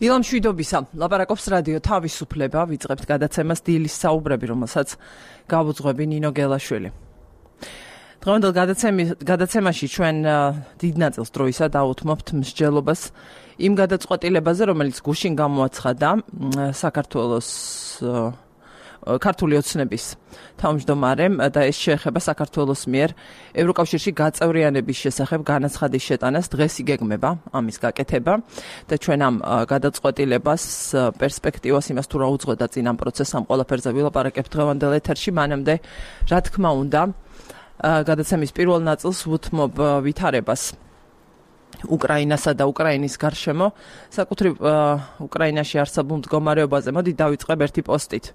ილამ შვიდობისა, ლაპარაკობს რადიო თავისუფლება, ვიწყებთ გადაცემას დილის საუბრები, რომელსაც გავუძღვები ნინო გელაშვილი. დღევანდელ გადაცემაში ჩვენ დიდ ნაწილს დროისა დავუთმობთ მსჯელობას იმ გადაწყვეტილებაზე, რომელიც გუშინ გამოაცხადა საქართველოს ქართული ოცნების თავმჯდომარემ და ეს შეეხება საქართველოს მიერ ევროკავშირში გაწევრიანების შესახებ განაცხადის შეტანას დღეს იგეგმება ამის გაკეთება და ჩვენ ამ გადაწყვეტილებას პერსპექტივას იმას თუ რა უძღვედა წინ ამ პროცესს ამ ყველაფერზე ვილაპარაკებთ დღევანდელ ეთერში მანამდე რა თქმა უნდა გადაცემის პირველ ნაწილს ვუთმობ ვითარებას უკრაინასა და უკრაინის გარშემო საკუთრივ უკრაინაში არსებულ მდგომარეობაზე მოდი დავიწყებ ერთი პოსტით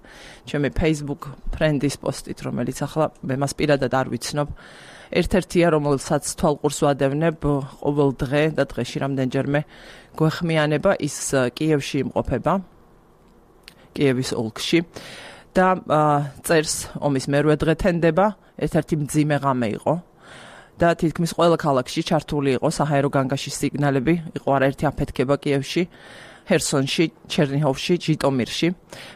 ჩემი Facebook ფრენდის პოსტით რომელიც ახლა მე მას პირადად არ ვიცნობ ერთ-ერთია რომელსაც თვალყურს ვადევნებ ყოველ დღე და დღეში რამდენჯერმე გვეხმიანება ის კიევში იმყოფება კიევის ოლქში და წერს ომის მერვე დღე თენდება ერთ-ერთი მძიმე ღამე იყო და თითქმის ყველა ქალაქში ჩართული იყო საჰაერო განგაშის სიგნალები, იყო არაერთი აფეთქება კიევში, ჰერსონში, ჩერნიჰოვში, ჟიტომირში,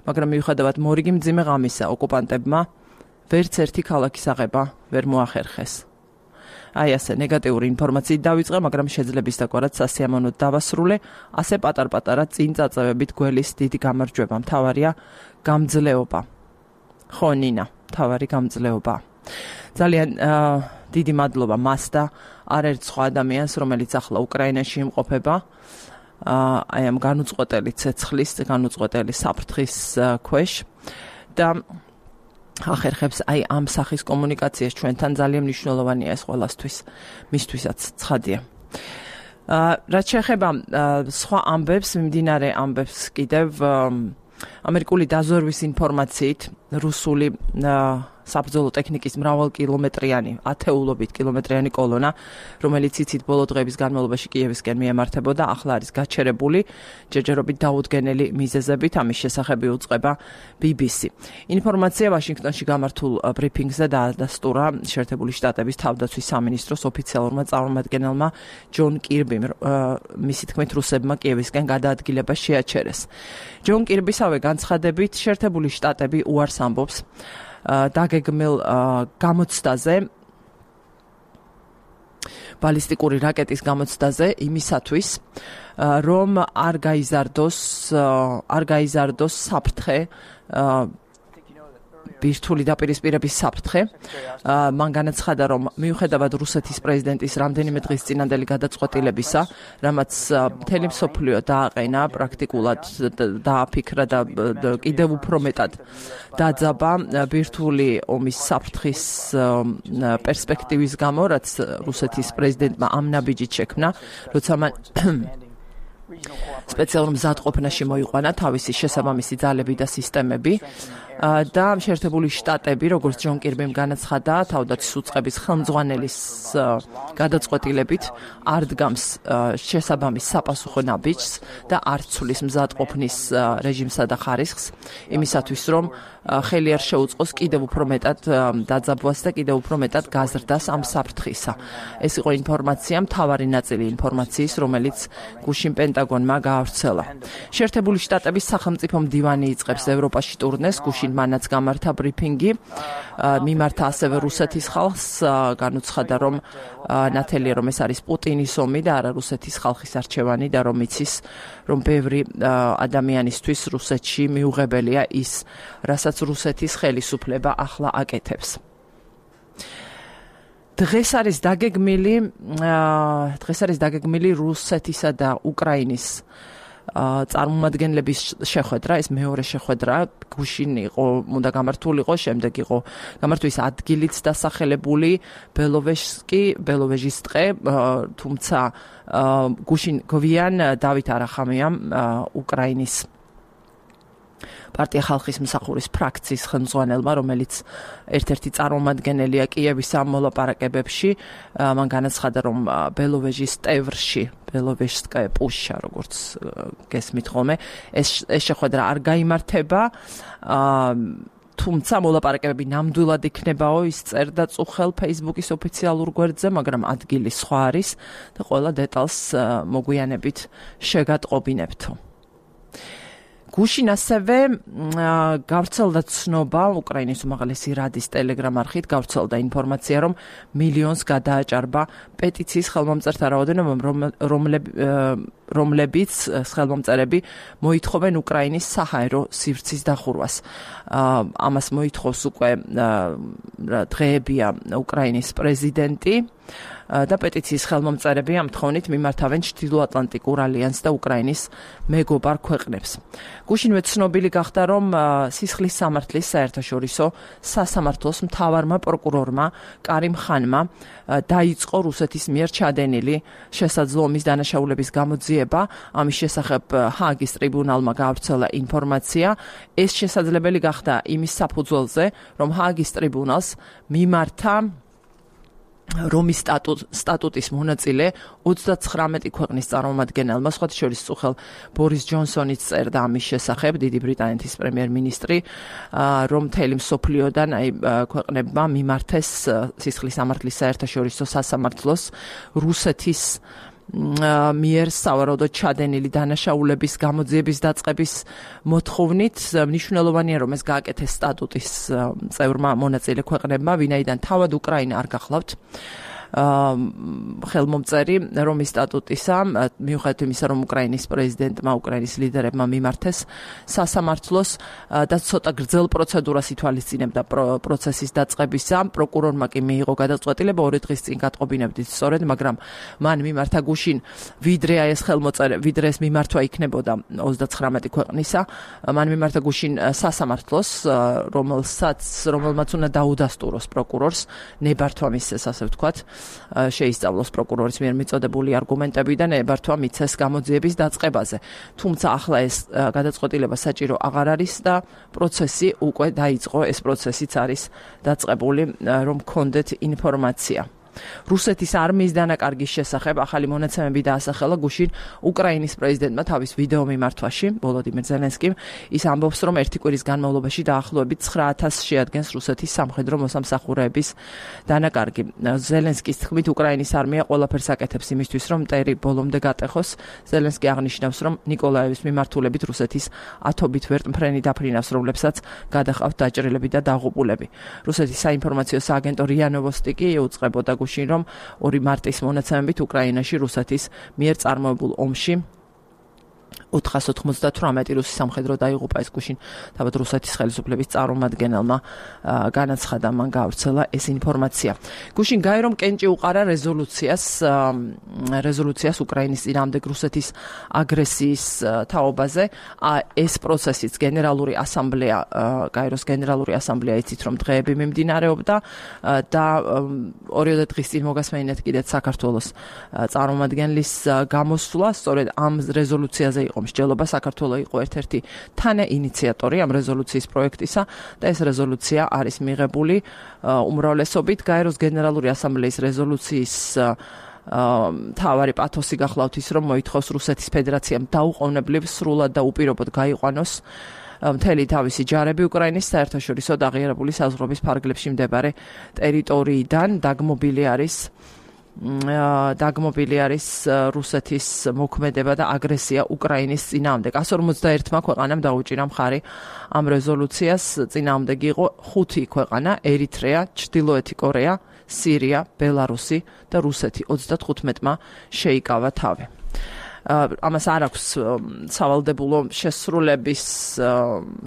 მაგრამ მიუხედავად მორიგი მძიმე ღამისა ოკუპანტებმა ვერც ერთი ქალაქის აღება ვერ მოახერხეს. აი ასე ნეგატიური ინფორმაციით დავიწყე, მაგრამ შეძლების დაგვარად სასიამოვნოდ დავასრულე, ასე პატარ-პატარა წინ წაწევებით გველის დიდი გამარჯვება, მთავარია გამძლეობა. ხო ნინა, მთავარი გამძლეობა. ძალიან დიდი მადლობა მას და არაერთ სხვა ადამიანს, რომელიც ახლა უკრაინაში იმყოფება, აი ამ განუწყვეტელი ცეცხლის, განუწყვეტელი საფრთხის ქვეშ და ახერხებს აი ამ სახის კომუნიკაციას ჩვენთან ძალიან მნიშვნელოვანია ეს ყველასთვის, მისთვისაც ცხადია. რაც შეეხება სხვა ამბებს, მიმდინარე ამბებს კიდევ ამერიკული დაზვერვის ინფორმაციით რუსული საბრძოლო ტექნიკის მრავალკილომეტრიანი, ათეულობით კილომეტრიანი კოლონა, რომელიც იცით ბოლო დღეების განმავლობაში კიევისკენ მიემართებოდა, ახლა არის გაჩერებული, ჯერჯერობით დაუდგენელი მიზეზებით, ამის შესახები უწყება BBC. ინფორმაცია ვაშინგტონში გამართულ ბრიფინგზე დაადასტურა შეერთებული შტატების თავდაცვის სამინისტროს ოფიციალურმა წარმომადგენელმა ჯონ კირბიმ, მისი თქმით რუსებმა კიევისკენ გადაადგილება შეაჩერეს. ჯონ კირბისავე განცხადებით შეერთებული შტატები უარს ამბობს დაგეგმილ გამოცდაზე ბალისტიკური რაკეტის გამოცდაზე იმისათვის რომ არ გაიზარდოს საფრთხე ბირთვული დაპირისპირების საფრთხე მან განაცხადა რომ მიუხედავად რუსეთის პრეზიდენტის რამდენიმე დღის წინანდელი გადაწყვეტილებისა რამაც მთელი მსოფლიო დააყენა პრაქტიკულად დააფიქრა და კიდევ უფრო მეტად დაძაბა ბირთვული ომის საფრთხის პერსპექტივის გამო რაც რუსეთის პრეზიდენტმა ამ ნაბიჯით შექმნა როცა მან სპეციალურ მზადყოფნაში მოიყვანა თავისი შესაბამისი ძალები და სისტემები და შეერთებული შტატები, როგორც ჯონ კირბიმ განაცხადა, თავდაცვის უწყების ხელმძღვანელის გადაწყვეტილებით არ დგამს შესაბამის sapasukho ნაბიჯს და არ ცვლის მზადყოფნის რეჟიმსა და ხარისხს, იმისათვის რომ ხელი არ შეუწყოს კიდევ უფრო მეტად დაძაბვას და კიდევ უფრო მეტად გაზრდას ამ საფრთხისა. ეს იყო ინფორმაცია, მთავარი ნაწილი ინფორმაციის, რომელიც გუშინ პენტაგონმა გაავრცელა. შეერთებული შტატების სახელმწიფო მდივანი იწყებს ევროპაში ტურნეს, გუშინ მანაც გამართა ბრიფინგი, მიმართა ასევე რუსეთის ხალხს, განუცხადა რომ ნათელია რომ ეს არის პუტინის ომი და არა რუსეთის ხალხის არჩევანი და რომ იცის რომ ბევრი ადამიანისთვის რუსეთში მიუღებელია ის, რასაც რუსეთის ხელისუფლება ახლა აკეთებს. დღეს არის დაგეგმილი რუსეთისა და უკრაინის წარმომადგენლების შეხვედრა, ეს მეორე შეხვედრა, გუშინ იყო, უნდა გამართულიყო, შემდეგ იყო გამართვის ადგილიც დასახელებული ბელოვეჟის ტყე, თუმცა გუშინ გვიან დავით არახამიამ უკრაინის პარტია ხალხის მსახურის ფრაქციის ხელმძღვანელმა, რომელიც ერთ-ერთი წარმომადგენელია კიევის ამ მოლაპარაკებებში, მან განაცხადა, რომ ბელოვეჟის ტევრში, ბელოვეჟსკაია პუშა, როგორც გესმით ხოლმე, ეს შეხვედრა არ გაიმართება, თუმცა მოლაპარაკებები ნამდვილად იქნებაო, ის წერდა წუხელ Facebook-ის ოფიციალურ გვერდზე, მაგრამ ადგილი სხვა არის და ყველა დეტალს მოგვიანებით შეგატყობინებთო. გუშინ ასევე გავრცელდა ცნობა უკრაინის უმაღლესი რადის ტელეგრამ არხით გავრცელდა ინფორმაცია, რომ მილიონს გადააჭარბა პეტიციის ხელმომწერთა რაოდენობა, რომლებიც ხელმომწერები მოითხოვენ უკრაინის საჰაერო სივრცის დახურვას. ამას მოითხოვს უკვე დღეებია უკრაინის პრეზიდენტი და პეტიციის ხელმომწერები ამ თხოვნით მიმართავენ ჩრდილოატლანტიკურ ალიანსს და უკრაინის მეგობარ ქვეყნებს. გუშინვე ცნობილი გახდა, რომ სისხლის სამართლის საერთაშორისო სასამართლოს მთავარმა პროკურორმა კარიმ ხანმა დაიწყო რუსეთის მიერ ჩადენილი შესაძლო ომის დანაშაულების გამოძიება. ამის შესახებ ჰააგის ტრიბუნალმა გაავრცელა ინფორმაცია. ეს შესაძლებელი გახდა იმის საფუძველზე, რომ ჰააგის ტრიბუნალს მიმართა რომის სტატუტის მონაწილე 39 ქვეყნის წარმომადგენელმა, სხვათა შორის წუხელ ბორის ჯონსონიც წერდა ამის შესახებ, დიდი ბრიტანეთის პრემიერ-მინისტრი, რომ მთელი მსოფლიოდან ქვეყნებმა მიმართეს სისხლის სამართლის საერთაშორისო სასამართლოს რუსეთის მიერ სავარაუდოდ ჩადენილი დანაშაულების გამოძიების დაწყების მოთხოვნით. მნიშვნელოვანია, რომ ეს გააკეთეს სტატუტის წევრმა მონაწილე ქვეყნებმა, ვინაიდან თავად უკრაინა არ გახლავთ ხელმომწერი რომის სტატუტისა, მიუხედავად იმისა, რომ უკრაინის პრეზიდენტმა, უკრაინის ლიდერებმა მიმართეს სასამართლოს და ცოტა გრძელ პროცედურას ითვალისწინებდა პროცესის დაწყებისა, პროკურორმა კი მიიღო გადაწყვეტილება 2 დღის წინ გატყობინებდით სწორედ, მაგრამ მან მიმართა გუშინ ვიდრე ეს მიმართვა იქნებოდა 39 ქვეყნისა, მან მიმართა გუშინ სასამართლოს, რომელმაც უნდა დაუდასტუროს პროკურორს ნებართვა მისცეს, ასე ვთქვათ, შეისწავლოს პროკურორის მიერ მიწოდებული არგუმენტები და ნებართვა მიცეს გამოძიების დაწყებაზე. თუმცა ახლა ეს გადაწყვეტილება საჭირო აღარ არის და პროცესი უკვე დაიწყო, ეს პროცესიც არის დაწყებული, რომ გქონდეთ ინფორმაცია. რუსეთის არმიის დანაკარგის შესახებ ახალი მონაცემები დაასახელა გუშინ უკრაინის პრეზიდენტმა თავის ვიდეო მიმართვაში, ვოლოდიმირ ზელენსკიმ. ის ამბობს, რომ ერთი კვირის განმავლობაში დაახლოებით 9,000 შეადგენს რუსეთის სამხედრო მოსამსახურეების დანაკარგი. ზელენსკის თქმით, უკრაინის არმია ყველაფერს აკეთებს იმისთვის, რომ მტერი ბოლომდე გატეხოს. ზელენსკი აღნიშნავს, რომ ნიკოლაევის მიმართულებით რუსეთის ათობით ვერტმფრენი დაფრინავს, რომლებსაც გადაჰყავთ დაჭრილები და დაღუპულები. რუსეთის საინფორმაციო სააგენტო რია ნოვოსტი კი უწყებოდა გუშინ, რომ 2 მარტის მონაცემებით უკრაინაში რუსეთის მიერ წარმოებულ ომში 498 რუსი სამხედრო დაიღუპა. ეს გუშინ თავად რუსეთის ხელისუფლების წარმომადგენელმა განაცხადა, მან გაავრცელა ეს ინფორმაცია. გუშინ გაერომ კენჭი უყარა რეზოლუციას უკრაინის წინააღმდეგ რუსეთის აგრესიის თაობაზე. ეს პროცესიც გენერალური ასამბლეა, გაეროს გენერალური ასამბლეა იცით, რომ დღეები მიმდინარეობდა და 2 დღის წინ მოგასმენინეთ კიდეც საქართველოს წარმომადგენლის გამოსვლა, სწორედ ამ რეზოლუციაზე იყო მსჯელობა. საქართველო იყო ერთ-ერთი თანაინიციატორი ამ რეზოლუციის პროექტისა და ეს რეზოლუცია არის მიღებული უმრავლესობით. გაეროს გენერალური ასამბლეის რეზოლუციის თავარი პათოსი გახლავთ ის, რომ მოითხოვს რუსეთის ფედერაციამ დაუყოვნებლივ, სრულად და უპირობოდ გაიყვანოს მთელი თავისი ჯარები უკრაინის საერთაშორისო აღიარებული საზღვრების ფარგლებში მდებარე ტერიტორიიდან. დაგმობილი არის რუსეთის მოქმედება და აგრესია უკრაინის წინააღმდეგ. 151 ქვეყანამ დაუჭირა მხარი ამ რეზოლუციას. წინააღმდეგ იყო 5 ქვეყანა: ერიტრეა, ჩრდილოეთი კორეა, სირია, ბელარუსი და რუსეთი. 35-მა შეიკავა თავი. ამას არ აქვს სავალდებულო შესრულების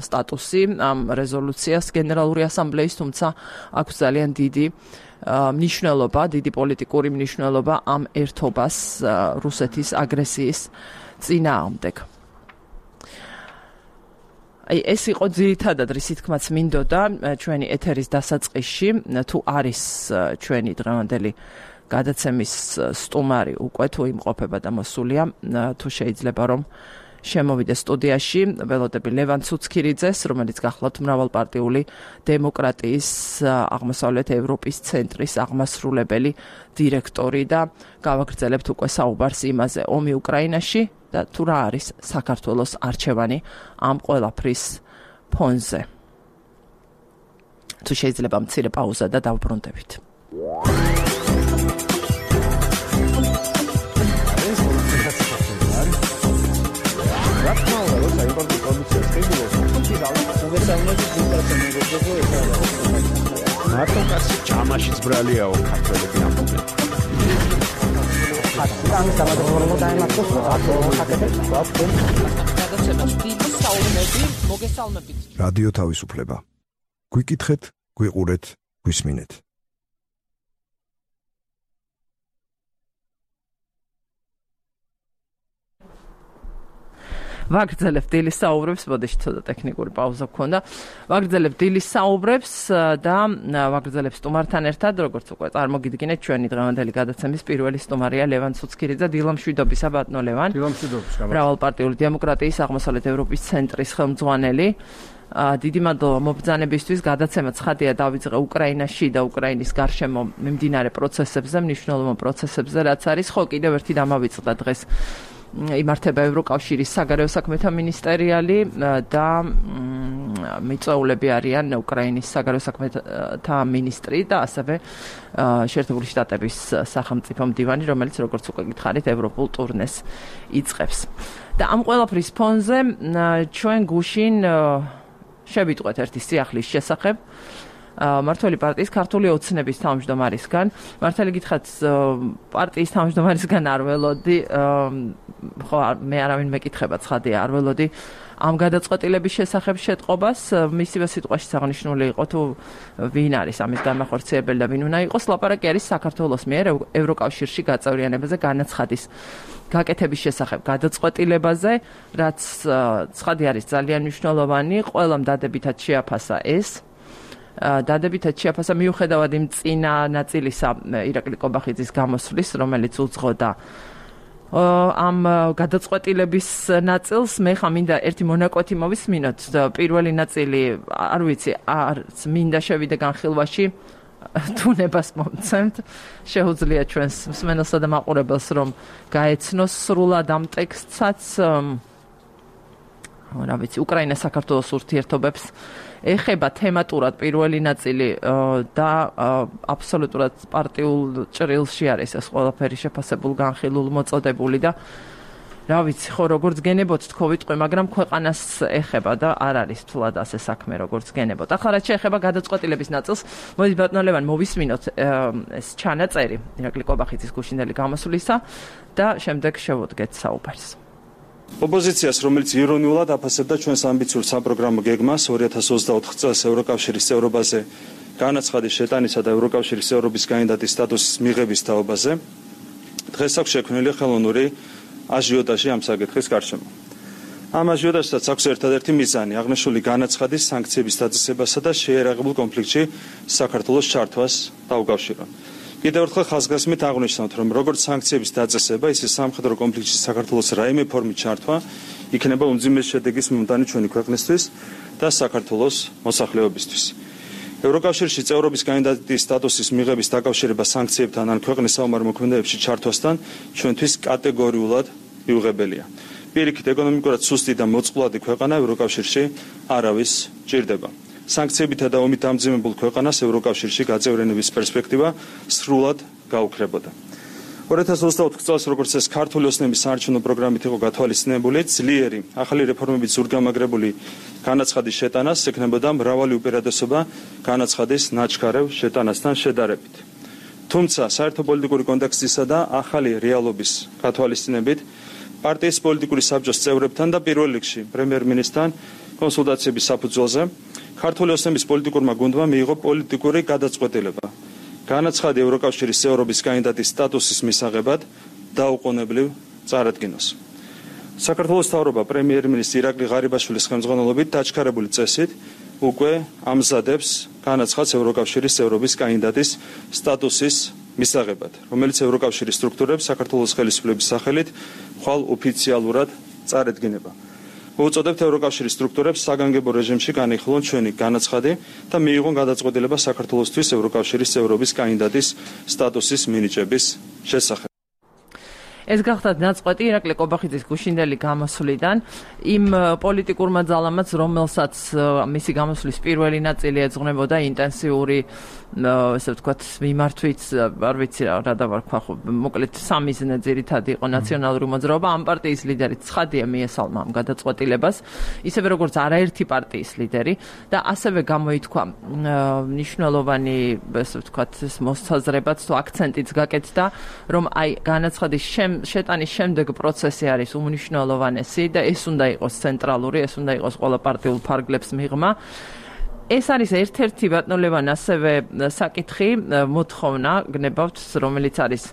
სტატუსი ამ რეზოლუციას გენერალური ასამბლეის, თუმცა აქვს ძალიან დიდი მნიშვნელობა, დიდი პოლიტიკური მნიშვნელობა ამ ერთობას რუსეთის აგრესიის წინააღმდეგ. ეს იყო ძირითადად რისი თქმაც მინდოდა ჩვენი ეთერის დასაწყისში. თუ არის ჩვენი დღევანდელი გადაცემის სტუმარი უკვე თუ იმყოფება და მოსულია, თუ შეიძლება რომ შემოვიდეს სტუდიაში ველოდები ლევან ცუცქირიძეს, რომელიც გახლავთ მრავალპარტიული დემოკრატიის აღმოსავლეთ ევროპის ცენტრის აღმასრულებელი დირექტორი და გავაგრძელებთ უკვე საუბარს იმაზე, ომი უკრაინაში და თუ რა არის საქართველოს არჩევანი ამ ყველაფრის ფონზე. თუ შეიძლება მცირე პაუზა და დავბრუნდებით. What? მარტო კაცი ჭამაშიც ბრალიაო ქართველები ამბობენ. რადიო თავისუფლება. გვიკითხეთ, გვიყურეთ, გვისმინეთ. ვაგრძელებ დილის საუბრებს, მოდეში ცოტა ტექნიკური პაუზა გქონდა. ვაგრძელებ დილის საუბრებს და ვაგრძელებ სტუმართან ერთად, როგორც უკვე წარმოგიდგინეთ, ჩვენი დღევანდელი გადაცემის პირველი სტუმარია ლევან ცუცქირიძე, დილამშვიდობისა ბატონო ლევან. დილამშვიდობისა. მრავალპარტიული დემოკრატიის აღმოსავლეთ ევროპის ცენტრის ხელმძღვანელი. დიდი მადლობა მობრძანებისთვის. გადაცემა ცხადია დავიწყე უკრაინაში და უკრაინის გარშემო მიმდინარე პროცესებზე, მნიშვნელოვან პროცესებზე, რაც არის. ხო, კიდევ ერთი დამავიწყდა დღეს იმართება ევროკავშირის საგარეო საქმეთა მინისტერიალი და მიწვეულები არიან უკრაინის საგარეო საქმეთა მინისტრი და ასევე შეერთებული შტატების სახელმწიფო მდივანი, რომელიც როგორც უკვე გითხარით, ევროპულ ტურნეს იწყებს. და ამ ყველაფრის ფონზე ჩვენ გუშინ შევიტყვეთ ერთი სიახლის შესახებ მართველი პარტიის ქართული ოცნების თავმჯდომარისგან. მართალი გითხრათ, პარტიის თავმჯდომარისგან არ ველოდი, ხო, მე არავინ მეკითხება, ცხადია, არ ველოდი ამ გადაწყვეტილების შესახებ შეტყობას. მისივე სიტყვაში აღნიშნული იყო თუ ვინ არის ამის განმახორციელებელი და ვინ უნდა იყოს. ლაპარაკი არის საქართველოს მიერ ევროკავშირში გაწევრიანებაზე განაცხადის გაკეთების შესახებ გადაწყვეტილებაზე, რაც ცხადი არის ძალიან მნიშვნელოვანი. ყველამ დადებითად შეაფასა ეს. დადებითად შეაფასა მიუხედავად იმ წინა ნაწილისა ირაკლი კობახიძის გამოსვლის, რომელიც უძღოდა ამ გადაწყვეტილების ნაწილს. მე ხა მინდა ერთი მონაკვეთი მოვისმინოთ. პირველი ნაწილი, არ ვიცი, არც მინდა შევიდე განხილვაში, თუნებას მომცემთ. შეუძლია ჩვენს მსმენელსა და მაყურებელს რომ გაეცნოს სრულად ამ ტექსტსაც. რა ვიცი, უკრაინა საქართველოს ურთიერთობებს ეხება თემატურად პირველი ნაწილი და აბსოლუტურად პარტიულ ჭრილში არის ეს ყველაფერი შეფასებულ, განხილულ, მოწოდებული და რა ვიცი, ხო, როგორც გენებოთ თქო ვიტყვი, მაგრამ ქვეყანას ეხება და არ არის თულად ასე საქმე, როგორც გენებოთ. ახლა რაც შეეხება გადაწყვეტილების ნაწილს, მოდი ბატონო ლევან მოვისმინოთ ეს ჩანაწერი ირაკლი კობახიძის გუშინდელი გამოსვლისა და შემდეგ შევუდგეთ საუბარს. ოპოზიციას, რომელიც ირონიულად აფასებდა ჩვენს ამბიციურ საპროგრამო გეგმას 2024 წელს ევროკავშირის წევრობაზე განაცხადის შეტანისა და ევროკავშირის წევრობის კანდიდატის სტატუსის მიღების თაობაზე, დღეს აქვს შექმნილი ხელოვნური აჟიოტაჟი ამ საკითხის გარშემო. ამ აჟიოტაჟსაც აქვს ერთადერთი მიზანი აღნიშნული განაცხადის სანქციების დაწესებასა და შეერაღებულ კონფლიქტში საქართველოს ჩართვას დაუკავშირონ. კიდევ ერთხელ ხაზგასმით აღნიშნავთ, რომ როგორც სანქციების დაწესება, ისე სამხედრო კონფლიქტში საქართველოს რაიმე ფორმით ჩართვა იქნება უმძიმეს შედეგის მომდანი ჩვენი ქვეყნისთვის და საქართველოს მოსახლეობისთვის. ევროკავშირში წევრობის კანდიდატის სტატუსის მიღების დაკავშირება სანქციებთან ან ქვეყნის საომარ მოქმედებებში ჩართვასთან ჩვენთვის კატეგორიულად მიუღებელია. პირიქით, ეკონომიკურად სუსტი და მოწყვლადი ქვეყანა ევროკავშირში არავის ჭირდება. სანქციებითა და ომით დამძიმებულ ქვეყანას ევროკავშირში გაწევრიანების პერსპექტივა სრულად გაუქრებოდა. 2024 წელს, როგორც ეს ქართული ოცნების საარჩევნო პროგრამით იყო გათვალისწინებული, ძლიერი ახალი რეფორმებით ზურგამაგრებული განაცხადის შეტანას ექნებოდა მრავალი უპირატესობა განაცხადის ნაჩქარევ შეტანასთან შედარებით. თუმცა, საერთო პოლიტიკური კონტექსტისა და ახალი რეალობის გათვალისწინებით, პარტიის პოლიტიკური საბჭოს წევრებთან და პირველ რიგში პრემიერ-მინისტრთან კონსულტაციების საფუძველზე ქართული ოცნების პოლიტიკურმა გუნდმა მიიღო პოლიტიკური გადაწყვეტილება. განაცხადი ევროკავშირის წევრობის კანდიდატის სტატუსის მისაღებად დაუყოვნებლივ წარადგინოს. საქართველოს მთავრობა პრემიერ-მინისტრი ირაკლი ღარიბაშვილის ხელმძღვანელობით დაჩქარებული წესით უკვე ამზადებს განაცხადს ევროკავშირის წევრობის კანდიდატის სტატუსის მისაღებად, რომელიც ევროკავშირის სტრუქტურებს საქართველოს ხელისუფლების სახელით ხვალ ოფიციალურად წარედგინება. მოუწოდებთ ევროკავშირის სტრუქტურებს საგანგებო რეჟიმში განიხილონ ჩვენი განაცხადი და მიიღონ გადაწყვეტილება საქართველოსთვის ევროკავშირის წევრობის კანდიდატის სტატუსის მინიჭების შესახებ. ეს გახდათ ნაწყვეტი ირაკლი კობახიძის გუშინდელი გამოსვლიდან იმ პოლიტიკურმა ძალამაც, რომელსაც მისი გამოსვლის პირველი ნაწილი ეძღვნებოდა ინტენსიური ესე ვთქვათ მიმართვით, არ ვიცი რა დავარქვა ხო, მოკლედ სამიზნე ძირითადი იყო ნაციონალური მოძრაობა, ამ პარტიის ლიდერი ცხადია მიესალმა ამ გადაწყვეტილებას, ისევე როგორც არაერთი პარტიის ლიდერი და ასევე გამოითქვა მნიშვნელოვანი ესე ვთქვათ მოსაზრებაც თუ აქცენტიც გაკეთდა, რომ აი განაცხადის შეტანის შემდეგ პროცესი არის უმნიშვნელოვანესი და ეს უნდა იყოს ცენტრალური, ეს უნდა იყოს ყველა პარტიულ ფარგლებს მიღმა. ეს არის ერთ-ერთი ბატონლებან ასევე საკითხი, მოთხოვნა გნებავთ, რომელიც არის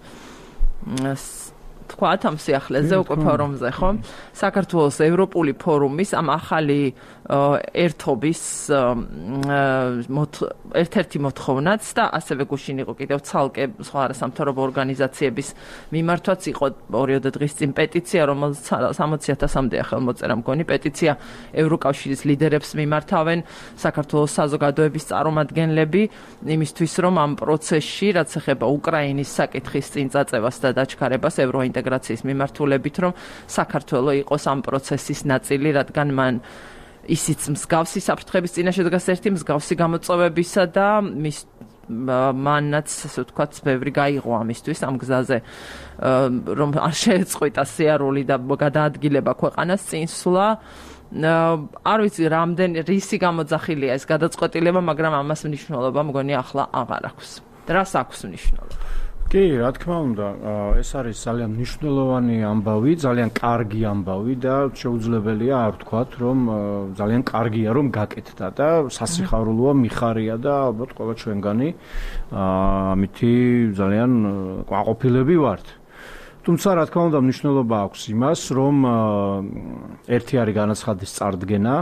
თქვათ ამ სიახლეზე უკვე ფორუმზე, ხო? საქართველოს ევროპული ფორუმის ამ ახალი ერთობის ერთ-ერთი მოთხოვნაც და ასევე გუშინ იყო კიდევ ცალკე სხვა არასამთავრობო ორგანიზაციების მიმართვაც იყო 2 დღის წინ პეტიცია, რომელსაც 60,000-მდეა ხელმოწერა მგონი პეტიცია ევროკავშირის ლიდერებს მიმართავენ საქართველოს საზოგადოების წარმომადგენლები იმისთვის, რომ ამ პროცესში, რაც ეხება უკრაინის საკითხის წინ წაწევას და დაჩქარებას ევროინტეგრაციის მიმართულებით, რომ საქართველო იყოს ამ პროცესის ნაწილი, რადგან მან ისიც მსგავსი საფრთხების წინაშე დგას ერთი მსგავსი გამოწვევებისა და მანაც ასე ვთქვათ ბევრი გაიღო ამისთვის ამ გზაზე რომ არ შეეწყვიტა სიარული და გადაადგილება ქვეყანას წინსვლა არ ვიცი რამდენი რისი გამოძახილია ეს გადაწყვეტილება, მაგრამ ამას მნიშვნელობა მგონი ახლა აღარ აქვს. რას აქვს მნიშვნელობა? კი, რა თქმა უნდა, ეს არის ძალიან მნიშვნელოვანი ამბავი, ძალიან კარგი ამბავი და შეუძლებელია არ ვთქვათ, რომ ძალიან კარგია რომ გაკეთდა და სასიხარულოა, მიხარია და ალბათ ყველა ჩვენგანი ამითი ძალიან ყვაყოფილები ვართ. თუმცა რა თქმა უნდა მნიშვნელობა აქვს იმას, რომ ერთი არის განაცხადის წარდგენა,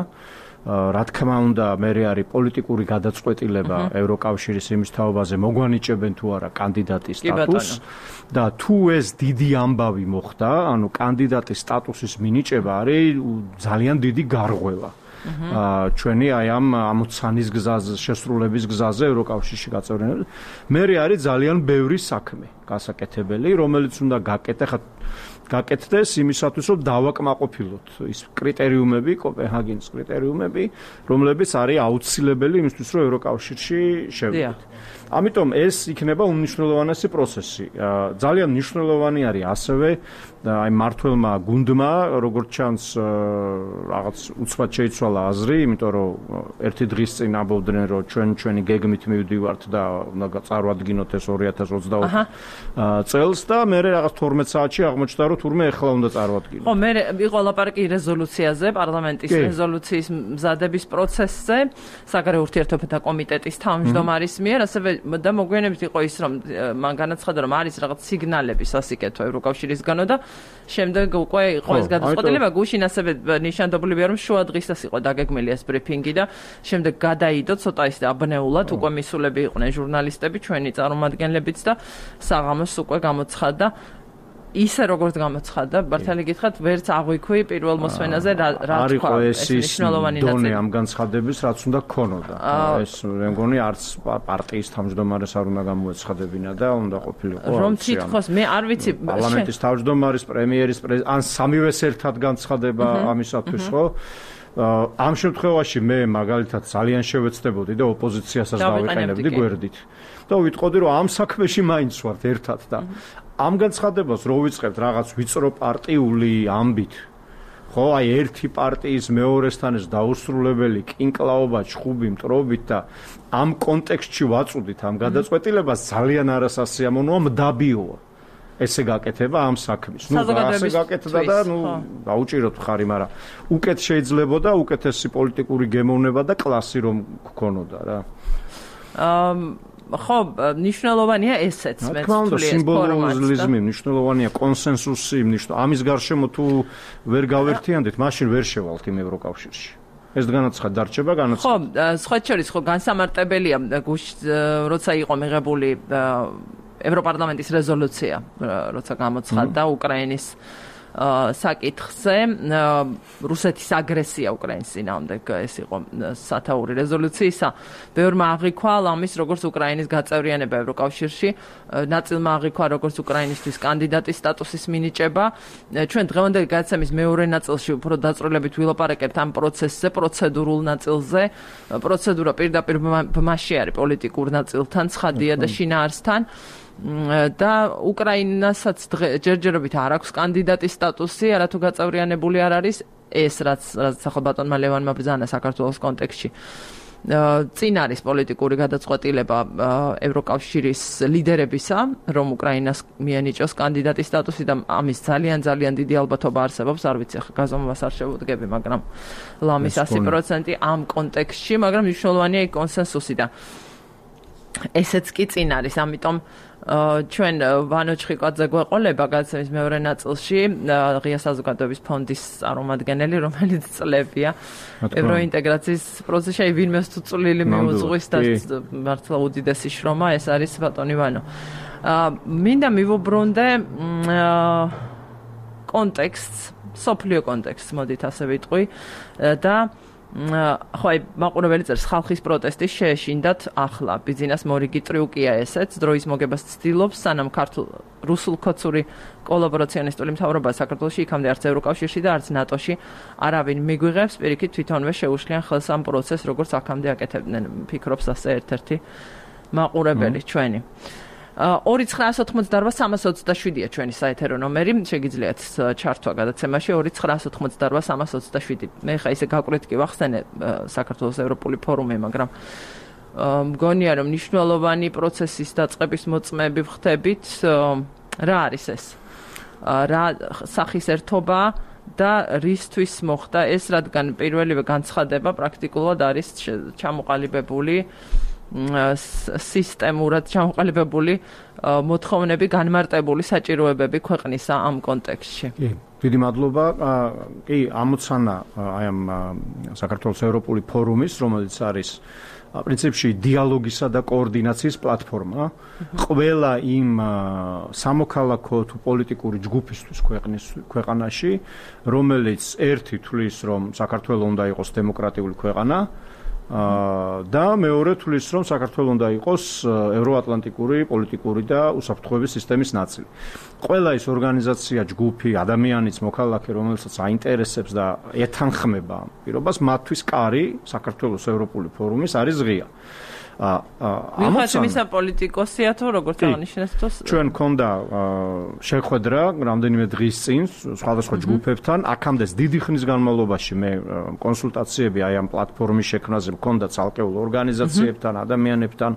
რა თქმა უნდა, მე არის პოლიტიკური გადაწყვეტილება ევროკავშირის იმის თაობაზე მოგვანიჭებენ თუ არა კანდიდატის სტატუსს და თუ ეს დიდი ამბავი მოხდა, ანუ კანდიდატის სტატუსის მინიჭება არის ძალიან დიდი გარღვევა. ჩვენი აი ამ ამოცანის გზაზე, შესრულების გზაზე ევროკავშირში გაწევრიანება. მე არის ძალიან ბევრი საქმე გასაკეთებელი, რომელიც უნდა გაკეთდეს იმისათვის, რომ დავაკმაყოფილოთ ის კრიტერიუმები, კოპენჰაგენის კრიტერიუმები, რომლებიც არის აუცილებელი იმისთვის, რომ ევროკავშირში შევიდეთ. ამიტომ ეს იქნება უმნიშვნელოვანესი პროცესი. ძალიან მნიშვნელოვანი არის ასევე აი მართველმა გუნდმა, როგორც ჩანს, რაღაც უცბად შეიცვალა აზრი, იმიტომ რომ ერთი დღის წინ ამბობდნენ, რომ ჩვენი გეგმით მივდივართ და უნდა წარვადგინოთ ეს 2024 წელს და მე რაღაც 12 საათში აღმოჩნდა, რომ თურმე ეხლა უნდა წარვადგინოთ. ხო, მე იყო ლაპარაკი რეზოლუციაზე, პარლამენტის რეზოლუციის მზადების პროცესზე, საგარეო ურთიერთობათა კომიტეტის თავმჯდომარის მიერ, ასევე და მოგვიანებით იყო ის, რომ მან განაცხადა, რომ არის რაღაც სიგნალები სასიკეთო ევროკავშირისგანო და შემდეგ უკვე იყო ეს გადაწყვეტილება, გუშინ ასევე ნიშანდობლივია, რომ შუა დღისას იყო დაგეგმილი ეს ბრიფინგი და შემდეგ გადაიდო ცოტა ის აბნეულად, უკვე მისულები იყვნენ ჟურნალისტები, ჩვენი წარმომადგენლებიც და საღამოს უკვე გამოცხადდა ისე როგორც გამოცხადდა, ბართალი გითხრათ, ვერც აღვიქვი პირველ მოსვენაზე რა თქვა, ეს მნიშვნელოვანი დონე ამ განცხადების, რაც უნდა ქონოდა. ეს მე მგონი არც პარტიის თავმჯდომარეს არ უნდა გამოეცხადებინა და უნდა ყოფილიყო. რომ თითქოს მე არ ვიცი, პარლამენტის თავმჯდომარის, პრემიერის, ან სამივეს ერთად განცხადება ამისათვის, ხო? ამ შემთხვევაში მე მაგალითად ძალიან შევეცდებოდი და ოპოზიციასაც დავიყენებდი გვერდით. და ვიტყოდი, რომ ამ საქმეში მაინც ვართ ერთად და ამ განცხადებას რო ვიწყებთ რაღაც ვიწრო პარტიული ამბით, ხო, აი ერთი პარტიის მეორესთან ეს დაუსრულებელი კინკლაობა, ჩხუბი, მტრობით და ამ კონტექსტში ვაწუდით ამ გადაწყვეტილებას ძალიან არასასიამოვნოა, მდაბიოა. ესე გაკეთება ამ საქმის. ასე გაკეთდა და დაუჭიროთ ხარი, მაგრამ უკეთ შეიძლებოდა უკეთესი პოლიტიკური გემოვნება და კლასი რომ გქონოდა რა. ხო, მნიშვნელოვანია ესეც მე ვთვლი ეს სიმბოლიზმი, მნიშვნელოვანია კონსენსუსი, ამის გარშემო თუ ვერ გავერთიანდით, მაშინ ვერ შევალთ იმ ევროკავშირში. ეს განაცხადი დარჩება, ხო, სხვა შორის ხო განსამარტებელია, როცა იყო მიღებული ევროპარლამენტის რეზოლუცია, როცა გამოცხადდა უკრაინის საკითხზე რუსეთის აგრესია უკრაინის წინააღმდეგ ეს იყო სათაური რეზოლუციისა. ბევრმა აღიქვა ლამის როგორც უკრაინის გაწევრიანება ევროკავშირში, ნაწილმა აღიქვა როგორც უკრაინისთვის კანდიდატის სტატუსის მინიჭება. ჩვენ დღევანდელი გადაცემის მეორე ნაწილში უფრო დაწვრილებით ვილაპარაკებთ ამ პროცესზე, პროცედურულ ნაწილზე. პროცედურა პირდაპირ ბმაში არის პოლიტიკურ ნაწილთან, ცხადია და შინაარსთან. და უკრაინასაც ჯერჯერობით არ აქვს კანდიდატის სტატუსი, არათუ გაწევრიანებული არ არის ეს რაც ახლა ბატონმა ლევანმა ბრძანა საქართველოს კონტექსტში. წინ არის პოლიტიკური გადაწყვეტილება ევროკავშირის ლიდერებისა, რომ უკრაინას მიენიჭოს კანდიდატის სტატუსი და ამის ძალიან დიდი ალბათობა არსებობს, არ ვიცი ახლა გაზომვას არ შევუდგები, მაგრამ ლამის 100% ამ კონტექსტში, მაგრამ მნიშვნელოვანია კონსენსუსი და ესეც კი წინ არის, ამიტომ ჩვენ ვანო ჩხიკვაძე გვეყოლება გადაცემის მეორე ნაწილში ღია საზოგადოების ფონდის წარმომადგენელი, რომელიც წლებია ევროინტეგრაციის პროცესში ვინმეს თუ წვლილი მიუძღვის და მართლა უდიდესი შრომა ეს არის ბატონი ვანო. მინდა მივუბრუნდე კონტექსტს, სოფლიო კონტექსტს, მოდით ასე ვიტყვი და ხო, მაყურებელი წერს ხალხის პროტესტის შეეშინდათ ახლა. ბიზნეს მორიგი ტრიუკია ესეც, დროის მოგებას ცდილობს, სანამ რუსულ კოცური კოლაბორაციონისტული მთავრობა საქართველოში იქამდე არც ევროკავშირში და არც ნატოში არავინ მიგვიღებს, პირიქით თვითონვე შეუშლიან ხელს ამ პროცესს, როგორც აქამდე აკეთებდნენ, ფიქრობს ასე ერთ-ერთი მაყურებელი ჩვენი. 2988-327-ია ჩვენი საეთერო ნომერი, შეგიძლიათ ჩართვა გადაცემაში 2988-327. მე ხა ისე გაკვირვით კი ვახსენე საქართველოს ევროპული ფორუმი, მაგრამ მგონია რომ მნიშვნელოვანი პროცესის დაწყების მოწმეები ვხდებით. რა არის ეს? რა სახის ერთობა და რისთვის მოხდა ეს, რადგან პირველივე განცხადება პრაქტიკულად არის ჩამოყალიბებული სისტემურად ჩამოყალიბებული მოთხოვნები, განმარტებული საჭიროებები ქვეყნისა ამ კონტექსტში. კი, დიდი მადლობა. კი, ამოცანა აი ამ საქართველოს ევროპული ფორუმის, რომელიც არის პრინციპში დიალოგისა და კოორდინაციის პლატფორმა, ყველა იმ სამოქალაქო თუ პოლიტიკური ჯგუფისთვის ქვეყანაში, რომელიც ერთი თვლის, რომ საქართველოს უნდა იყოს დემოკრატიული ქვეყანა, და მეორე თulis რომ საქართველოს უნდა იყოს ევროატლანტიკური პოლიტიკური და უსაფრთხოების სისტემის ნაწილი. ყველა ის ორგანიზაცია, ჯგუფი, ადამიანიც, მოქალაქე, რომელსაც აინტერესებს და ეთანხმება ამ პირობას, მათთვის კარი საქართველოს ევროპული ფორუმის არის ღია. ამაცან მისა პოლიტიკოსია თუ როგორც აღნიშნეთ თუ ჩვენ მქონდა შეხვედრა რამდენიმე დღის წინ სხვადასხვა ჯგუფებთან, აქამდე დიდი ხნის განმავლობაში მე კონსულტაციები აი ამ პლატფორმის შექმნაზე მქონდა ცალკეულ ორგანიზაციებთან, ადამიანებთან,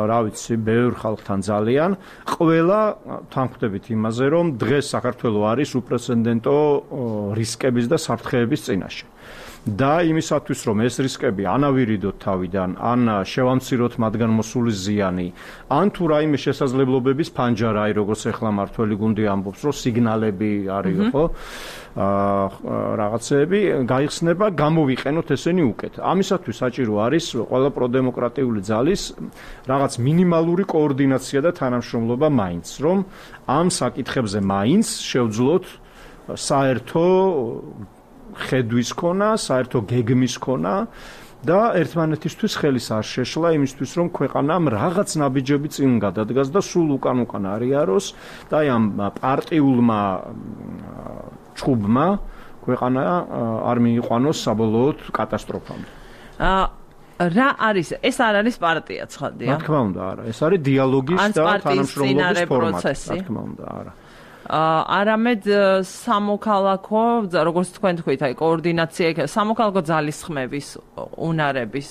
რა ვიცი, ბევრ ხალხთან ძალიან. ყველა თანხმდებით იმაზე, რომ დღეს საქართველოს არის უპრეცედენტო რისკების და საფრთხეების წინაშე. და იმისათვის რომ ეს რისკები ანავირიდოთ თავიდან, ან შევამციროთ მათგან მოსული ზიანი, ან თუ რაიმე შესაძლებლობების ფანჯარა, აი როგორც ახლა მართველი გუნდი ამბობს, რომ სიგნალები არის, ხო? რაღაცეები გაიხსნება, გამოვიყენოთ ესენი უკეთ. ამისათვის საჭირო არის ყველა პროდემოკრატიული ძალის რაღაც მინიმალური კოორდინაცია და თანამშრომლობა მაინც, რომ ამ საკითხებზე მაინც შევძლოთ საერთო ხედვის ქონა, საერთო გეგმის ქონა და ერთმანეთისთვის ხელის არ შეშლა იმისთვის, რომ ქვეყანამ რაღაც ნაბიჯები წინ გადადგას და სულ უკან არიაროს და აი ამ პარტიულმა ჩხუბმა ქვეყანა არ მიიყვანოს საბოლოოდ კატასტროფამდე. რა არის? ეს არ არის პარტია, ცხადია? რა თქმა უნდა, არა. ეს არის დიალოგის და თანამშრომლობის ფორმატი. რა თქმა უნდა, არა. არამედ სამოქალაქო, როგორც თქვენ თქვით, აი კოორდინაცია, სამოქალაქო ძალისხმების, უნარების,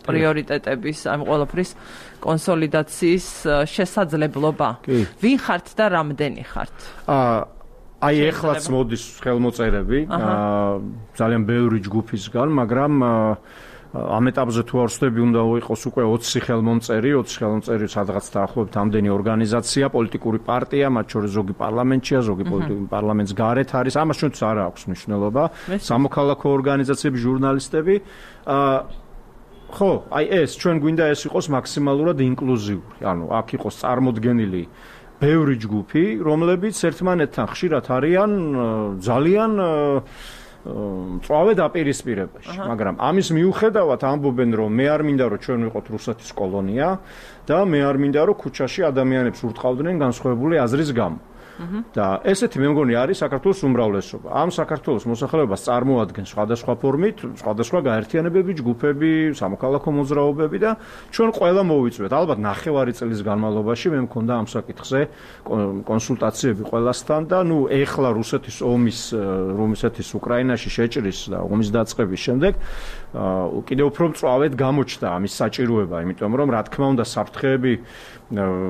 პრიორიტეტების, ამ ყველაფრის კონსოლიდაციის შესაძლებლობა. ვინ ხართ და რამდენი ხართ? აი ეხლაც მოდის ხელმოწერები, ძალიან ბევრი ჯგუფისგან, მაგრამ ამ ეტაპზე თუ არ ვსვდები, უნდა იყოს უკვე 20 ხელმომწერი, სადღაც დაახლოებით ამდენი ორგანიზაცია, პოლიტიკური პარტია, მათ შორის ზოგი პარლამენტშია, ზოგი პოლიტიკური პარლამენტს გარეთ არის. ამას ჩვენც არ აქვს მნიშვნელობა. სამოქალაქო ორგანიზაციები, ჟურნალისტები, ხო, აი ეს ჩვენ გვინდა ეს იყოს მაქსიმალურად ინკლუზიური. ანუ აქ იყოს წარმოდგენილი ბევრი ჯგუფი, რომლებიც ერთმანეთთან ხშირად არიან ძალიან წვავე დაპირისპირებაში, მაგრამ ამის მიუხედავად ამბობენ, რომ მე არ მინდა რომ ჩვენ ვიყოთ რუსეთის კოლონია და მე არ მინდა რომ ქუჩაში ადამიანებს ურტყავდნენ განსხვავებული აზრის გამო. და ესეთი მე მგონი არის საქართველოს უმრავლესობა. ამ საქართველოს მოსახლეობას წარმოადგენს სხვადასხვა ფორმით, სხვადასხვა გაერთიანებები, ჯგუფები, სამოქალაქო მოძრაობები და ჩვენ ყველა მოვიწვევთ. ალბათ 9 წლის განმავლობაში მე მქონდა ამ საკითხზე კონსულტაციები ყველასთან და ეხლა რუსეთის ომის რუსეთის უკრაინაში შეჭრის და ომის დაწყების შემდეგ კიდევ უფრო მწვავედ გამოჩნდა ამის საჭიროება, იმიტომ რომ რა თქმა უნდა საფრთხეები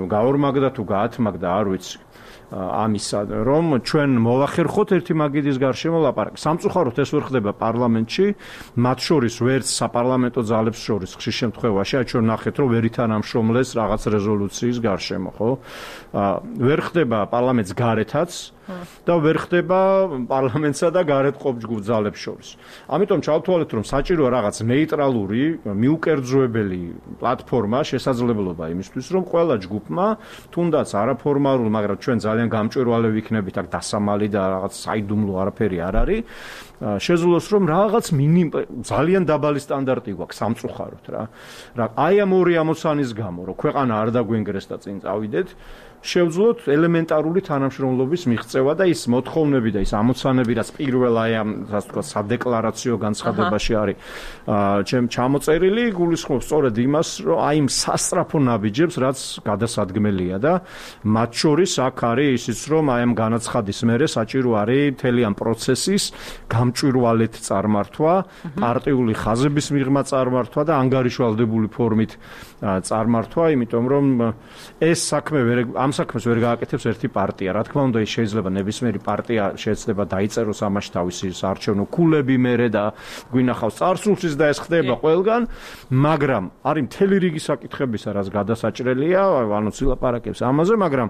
გაორმაგდა თუ გაათმაგდა, არ ვიცი. ამისა, რომ ჩვენ მოვახერხოთ ერთი მაგიდის გარშემო ლაპარაკი. სამწუხაროდ ეს ვერ ხდება პარლამენტში, მათ შორის ვერც საპარლამენტო ძალებს შორის ხშირ შემთხვევაში, ჩვენ ნახეთ, რომ ვერ ითანამშრომლეს რაღაც რეზოლუციის გარშემო, ხო? ვერ ხდება პარლამენტს გარეთაც და ვერ ხდება პარლამენტსა და გარეთ ყოფ ჯგუფ ძალებს შორის. ამიტომ ჩავთვალეთ, რომ საჭიროა რაღაც ნეიტრალური, მიუკერძოებელი პლატფორმა, შესაძლებლობა იმისთვის, რომ ყველა ჯგუფმა, თუნდაც არაფორმალურ, მაგრამ ჩვენ ძალიან გამჭვირვალე ვიქნებით აქ დასამალი და რაღაც საიდუმლო არაფერი არ არის. Შეძლოს რომ რაღაც ძალიან დაბალი სტანდარტი გვაქვს სამწუხაროდ რა. აი ამ ორი ამოცანის გამო, რომ ქვეყანა არ დაგვენგრეს და წინ წავიდეთ, შევძლოთ ელემენტარული თანამშრომლობის მიღწევა და ის მოთხოვნები და ის ამოცანები, რაც პირველ აი ამ ასე ვთქვათ სადეკლარაციო განცხადებაში არის ჩამოწერილი, გულისხმობს სწორედ იმას, რომ აი იმ სასწრაფო ნაბიჯებს, რაც გადასადგმელია და მათ შორის აქ არის ისიც, რომ აი ამ განაცხადის მერე საჭირო არის მთელი ამ პროცესის გამჭვირვალედ წარმართვა, პარტიული ხაზების მიღმა წარმართვა და ანგარიშვალდებული ფორმით წარმართვა, იმიტომ რომ ეს საქმე ამ საქმეს ვერ გააკეთებს ერთი პარტია. რა თქმა უნდა, ის შეიძლება ნებისმიერი პარტია შეიძლება დაიწეროს ამაში თავისი საარჩევნო ქულები მერე და გვინახავს წარსულშიც და ეს ხდება ყველგან, მაგრამ არის მთელი რიგი საკითხებისა, რაც გადასაჭრელია, ანუ ვილაპარაკებს ამაზე, მაგრამ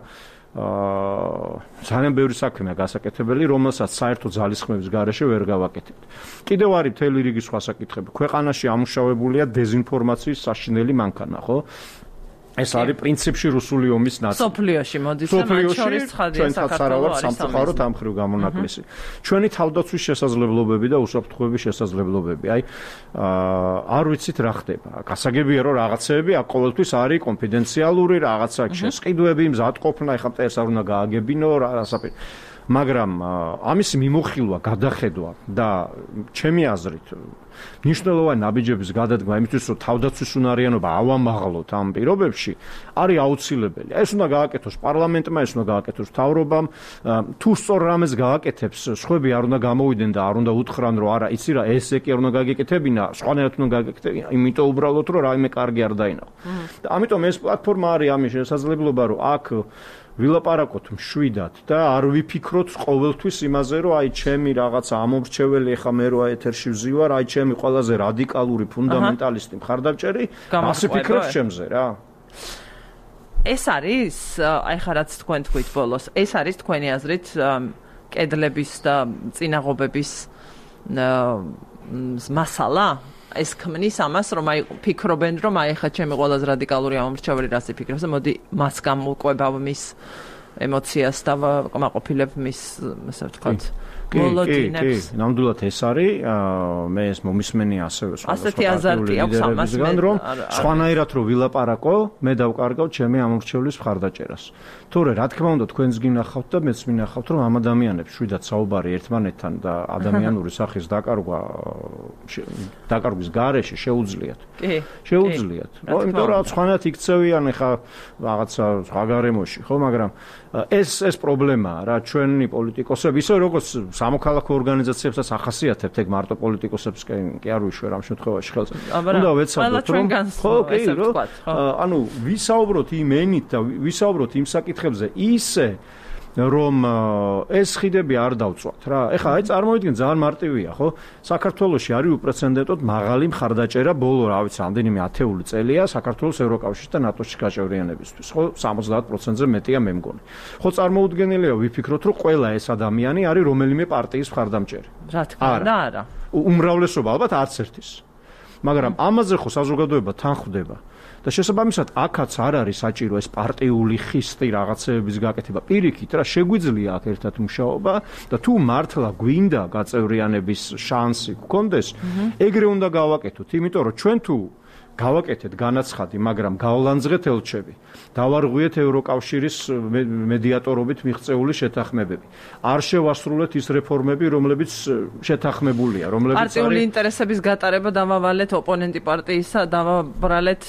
ძალიან ბევრი საქმეა გასაკეთებელი, რომელსაც საერთო ძალისხმევის გარეშე ვერ გავაკეთებთ. კიდევ არის მთელი რიგი სხვა საკითხები. ქვეყანაში ამუშავებულია დეზინფორმაციის საშინელი მანქანა, ხო? ეს არის პრინციპში რუსული ომის ნაწილი. სოფლიოში მოდის და მათ შორის ცხადია საქართველოს სამწუხაროდ ამ ხრივ გამონაკლისი. ჩვენი თავდაცვის შესაძლებლობები და უსაფრთხოების შესაძლებლობები. აი არ ვიცით რა ხდება. გასაგებია რომ რაღაცეები აქ ყოველთვის არის კონფიდენციალური, რაღაცა შესყიდვები, მზადყოფნა, ეხლა მტერს არ უნდა გააგებინო, რასაკვირ. მაგრამ ამის მიმოხილვა, გადახედვა და ჩემი აზრით მნიშვნელოვანი ნაბიჯების გადადგმა იმისთვის, რომ თავდაცვის უნარიანობა ავამაღლოთ ამ პირობებში, არის აუცილებელი. ეს უნდა გააკეთოს პარლამენტმა, ეს უნდა გააკეთოს მთავრობამ. თუ სწორ რამეს გააკეთებს, სხვები არ უნდა გამოვიდნენ და არ უნდა უთხრან, რომ არა, იცი რა, ესე კი არ უნდა გაგეკეთებინა, სხვანაირად უნდა გაგეკეთებინა, იმიტომ უბრალოდ რომ რაიმე კარგი არ დაინახო. და ამიტომ ეს პლატფორმა არის ამის შესაძლებლობა, რომ აქ ვილაპარაკოთ მშვიდად და არ ვიფიქროთ ყოველთვის იმაზე, რომ აი ჩემი რაღაცა ამომრჩეველი ახლა მე რა ეთერში ვზივარ, აი ჩემი ყველაზე რადიკალური ფუნდამენტალისტი მხარდამჭერი, ასე ფიქრობს ჩემზე რა. ეს არის, აი ხა რაც თქვენ თქვით ბოლოს, ეს არის თქვენი აზრით კედლების და წინაღობების მასალა? ეს ქმნის ამას, რომ აი ფიქრობენ, რომ აი ხა ჩემი ყველაზე რადიკალური ამომრჩეველი რას იფიქრებს და მოდი მას გამოვყვება მის ემოციას და ვაკმაყოფილებ მის, ასე ვთქვათ, მოლოდინებს. ნამდვილად ეს არის, მე ეს მომისმენი ასევე ასეთი აზარტი აქვს ამას, რომ სხვანაირად რო ვილაპარაკო, მე დავკარგავ ჩემი ამომრჩევლის მხარდაჭერას. თორე რა თქმა უნდა თქვენს გინახავთ და მეც მინახავთ, რომ ამ ადამიანებს შვიდად საუბარი ერთმანეთთან და ადამიანური სახის დაკარგვის გარეშე შეუძლიათ. შეუძლიათ. იმიტომ რომ სხვანაირად იქცევიან ახლა რაღაცა სხვა გარემოში, ხო, მაგრამ ეს პრობლემაა რა, ჩვენი პოლიტიკოსები, ისე როგორც სამოქალაქო ორგანიზაციებსაც ახასიათებთ, ეგ მარტო პოლიტიკოსებს კი არ ვიშვერ ამ შემთხვევაში ხელს. უნდა ვეცადოთ, რომ ხო, ანუ ვისაუბროთ იმ ენით და ვისაუბროთ იმ საკითხებზე ისე, რომ ეს ხიდები არ დავწვათ რა. ეხლა აი წარმოვიდგინე ძალიან მარტივია, ხო? საქართველოში არის უპრეცედენტოდ მაღალი მხარდაჭერა ბოლო, რა ვიცი, რამდენიმე ათეული წელია საქართველოს ევროკავშირში და ნატოში გაჭევრიანებისთვის, ხო? 70%-ზე მეტია მე მგონი. ხო, წარმოუდგენელია ვიფიქროთ, რომ ყველა ეს ადამიანი არის რომელიმე პარტიის მხარდამჭერი. რა თქმა უნდა, არა. უმრავლესობა ალბათ არც ერთის. მაგრამ ამაზე ხო საზოგადოება თან ხვდება. და შესაბამისად აქაც არ არის საჭირო ეს პარტიული ხისტი რაღაცეების გაკეთება. პირიქით რა შეგვიძლია აქ ერთად მუშაობა და თუ მართლა გვინდა გაწევრიანების შანსი გქონდეს, ეგრე უნდა გავაკეთოთ, იმიტომ რომ ჩვენ თუ გავაკეთეთ განაცხადი, მაგრამ გავლანძღეთ ელჩები. დავარღვიეთ ევროკავშირის მედიატორობით მიღწეული შეთანხმებები. არ შევასრულეთ ის რეფორმები, რომლებიც შეთანხმებულია, რომლებიც პარტიული ინტერესების გატარება დავავალეთ ოპონენტი პარტიისა, დავაბრალეთ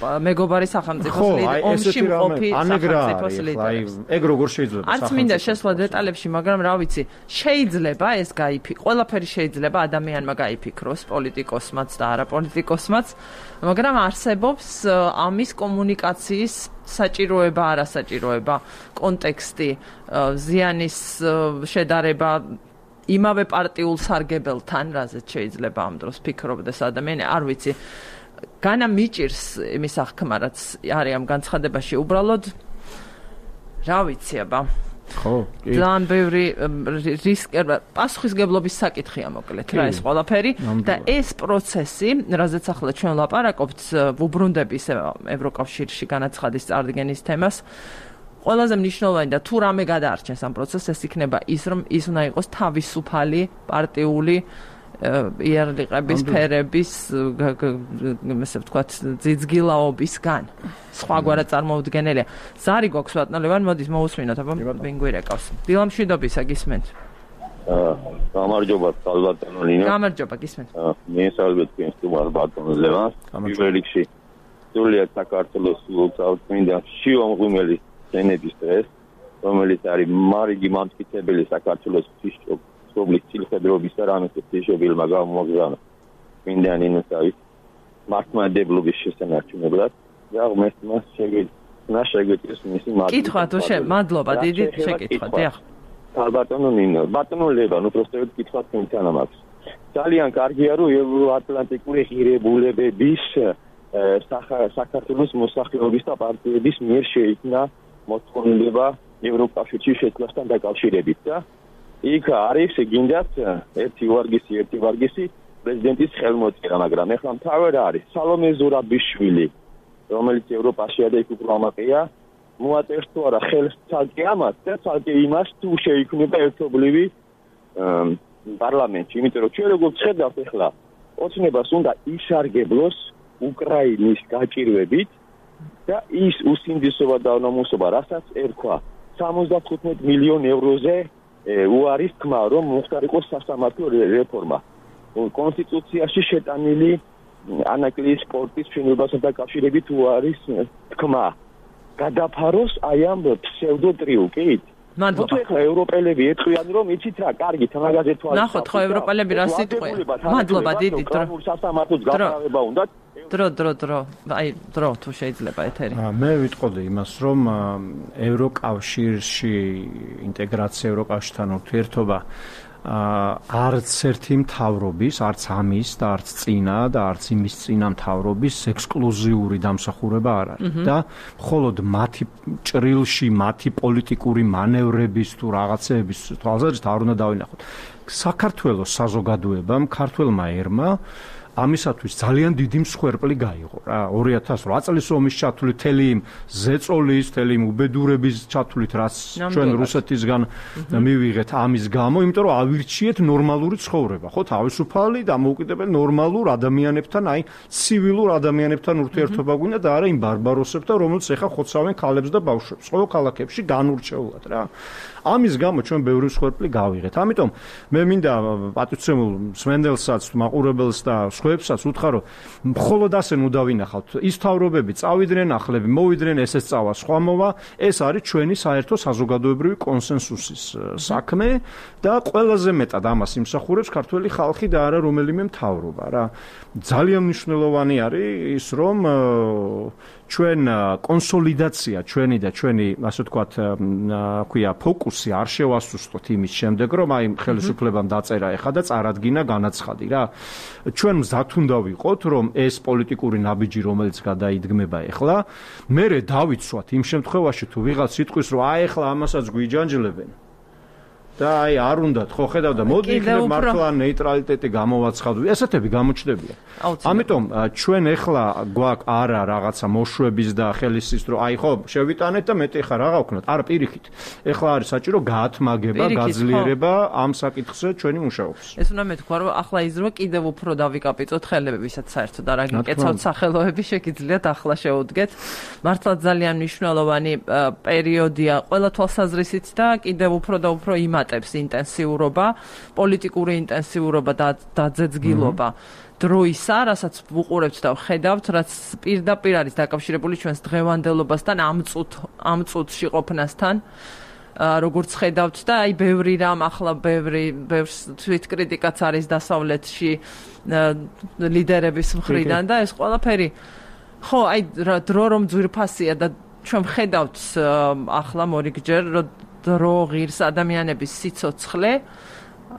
მეგობარი სახელმწიფოს ომში მყოფი სახელმწიფოს ლიდერებს. ეგ როგორ შეიძლება? არც მინდა შესვლა დეტალებში, მაგრამ რა ვიცი, შეიძლება ეს ყველაფერი შეიძლება ადამიანმა გაიფიქროს, პოლიტიკოსმაც და არაპოლიტიკოსმაც. მაგრამ არსებობს ამის კომუნიკაციის საჭიროება, არასაჭიროება, კონტექსტი, ზიანის შედარება იმავე პარტიულ სარგებელთან, რაზეც შეიძლება ამ დროს ფიქრობდეს ადამიანი, არ ვიცი. განა მიჭირს იმის აღქმა, რაც არის ამ განცხადებაში, უბრალოდ რა ვიცი, აბა. ხო, კი. ძალიან ბევრი პასუხისგებლობის საკითხია მოკლედ რა ეს ყველაფერი და ეს პროცესი, რაზეც ახლა ჩვენ ლაპარაკობთ, ვუბრუნდები ევროკავშირში განაცხადის წარდგენის თემას, ყველაზე მნიშვნელოვანი და თუ რამე გადაარჩენს ამ პროცესს, ეს იქნება ის, რომ ის უნდა იყოს თავისუფალი პარტიული იარლიყების ფერების, ესე ვთქვათ, ძიძგილაობისგან. სხვაგვარად წარმოუდგენელია. ზარი გვაქვს ბატონო ლევან, მოდის მოусმინოთ, აბა ვინ გვირეკავს. დილამშვიდობისა გისმენთ. გამარჯობა, ბატონო ლინა. გამარჯობა, გისმენთ. მიესალმებით თქვენს სტუმარს ბატონო ლევანს. პირველ რიგში სრულიად საქართველოს წმინდა შიომღვიმელის სენების დღეს, რომელიც არის მარიგი მამტკიცებელი საქართველოს სოფლის ცილხედრობის და რამესის თიშობილმა გამოგზავნა წმინდა ნინოსავის მართლმადიდებლობის შესანარჩუნებლად და მას შეგვიძლია მისი კითხვა თუ მადლობა დიდი შეკითხვა დიახ ბატონო ნინო ბატონო ლევან უბრალოდ კითხვა თქვენთან აქვს ძალიან კარგია რომ ევროატლანტიკური ღირებულებების საქართველოს მოსახლეობის და პარტიების მიერ შეიქმნა მოთხოვნილება ევროკავშირში შეცვლასთან დაკავშირებით და იქ არის გინდათ ერთი ვარგისი პრეზიდენტის ხელმოწერა, მაგრამ ეხლა მთავარ არის სალომე ზურაბიშვილი, რომელიც ევროპაშია და იქ უფრო ამაყია, მოაწერს თუ არა ხელს ცალკე ამას და ცალკე იმას თუ შეიქმნება ერთობლივი პარლამენტი, იმიტომ რომ ჩვენ როგორც ხედავთ ეხლა ოცნებას უნდა ისარგებლოს უკრაინის გაჭირვებით და ის უსინდისობა და უნამუსობა, რასაც ერქვა 75 მილიონ ევროზე უარის თქმა, რომ მოხდარიყოს სასამართლო რეფორმა. კონსტიტუციაში შეტანილი ანაკლიის სპორტის მშენებლობასთან დაკავშირებით უარის თქმა. გადაფაროს აი ამ ფსევდოტრიუკით. მადლობა. ხა ევროპელები ეთქვიან, რომ იცით რა, კარგი თამაგაზე თვალს. ნახოთ ხო ევროპელები რა სიტყვია. მადლობა დიდი დრო. სასამართლოს გაფრთხილება უნდა. დრო. აი დრო თუ შეიძლება ეთერი. მე ვიტყოდი იმას, რომ ევროკავშირში ინტეგრაცია ევროკავშირთან ურთიერთობა არც ერთი მთავრობის, არც ამის და არც წინა და არც იმის წინა მთავრობის ექსკლუზიური დამსახურება არ არის და მხოლოდ მათი ჭრილში, მათი პოლიტიკური მანევრების თუ რაღაცეების თვალსაზრისით არ უნდა დავინახოთ. საქართველოს საზოგადოებამ, ქართველმა ერმა ამისათვის ძალიან დიდი მსხვერპლი გაიღო რა 2008 წლის ომის ჩათვლით თელი იმ ზეწოლის, თელი იმ უბედურების ჩათვლით რაც ჩვენ რუსეთისგან მივიღეთ ამის გამო, იმიტომ რომ ავირჩიეთ ნორმალური ცხოვრება, ხო, თავისუფალი და მოუკიდებელი ნორმალურ ადამიანებთან, აი ცივილურ ადამიანებთან ურთიერთობა გვინდა და არა იმ ბარბაროსებთან, რომელიც ეხა ხოცავენ ქალებს და ბავშვებს, ხო, ქალაქებში განურჩეულად რა. ამის გამო ჩვენ ბევრი მსხვერპლი გავიღეთ. ამიტომ მე მინდა პატივცემულ სმენდელსაც, მაყურებელს და სხვაებსაც უთხრა, რომ მხოლოდ ასე ნუ დავინახავთ. ის თავრობები წავიდნენ, ახლები მოვიდნენ, ესეც წავა, სხვა მოვა. ეს არის ჩვენი საერთო საზოგადოებრივი კონსენსუსის საქმე და ყველაზე მეტად ამას იმსახურებს ქართველი ხალხი და არა რომელიმე მთავრობა რა. ძალიან მნიშვნელოვანი არის ის, რომ ჩვენ კონსოლიდაცია ჩვენი და ჩვენი, ასე ვთქვათ, ქვია ფოკუსი არ შევასუსტოთ იმის შემდეგ, რომ აი ხელისუფლებამ დაწერა ეხა და წარადგინა განაცხადი რა. ჩვენ მზად უნდა ვიყოთ, რომ ეს პოლიტიკური ნაბიჯი, რომელიც გადაიდგმება ეხლა, მერე დავიცვათ იმ შემთხვევაში, თუ ვიღაც იტყვის, რომ აი ეხლა ამასაც გვიჯანჯლებენ. და აი არ უნდათ ხო ხედავ და მოდი იქნებ მართლა ნეიტრალიტეტი გამოვაცხადო. ესეთები გამოჩნდებიან. ამიტომ ჩვენ ეხლა გვაქვს არა რაღაცა მოშვების და ხელისის რომ აი ხო შევიტანეთ და მეტი ხარ რა გავქნათ. არა პირიქით. ეხლა არის საჭირო გაათმაგება, გაძლიერება ამ საკითხზე ჩვენი მუშაობის. ეს უნდა მეთქვა რომ ახლა ის რომ კიდევ უფრო დავიკაპიტოთ ხელები, ვისაც საერთოდ არ აგიკეცავთ სახელოები, შეგიძლიათ ახლა შეუდგეთ. მართლა ძალიან მნიშვნელოვანი პერიოდია ყველა თვალსაზრისით და კიდევ უფრო და უფრო იმატებს ინტენსიურობა, პოლიტიკური ინტენსიურობა და დაძეძგილობა. დროისა, რასაც ვუყურებთ და ვხედავთ, რაც პირდაპირ არის დაკავშირებული ჩვენს დღევანდელობასთან, ამ წუთში ყოფნასთან. როგორც ხედავთ და აი ბევრი რამ ახლა ბევრს თვითკრიტიკაც არის დასავლეთში ლიდერების მხრიდან და ეს ყველაფერი ხო აი დრო რომ ძვირფასია და ჩვენ ხედავთ ახლა მორიგჯერ რომ დრო ღირს ადამიანების სიცოცხლე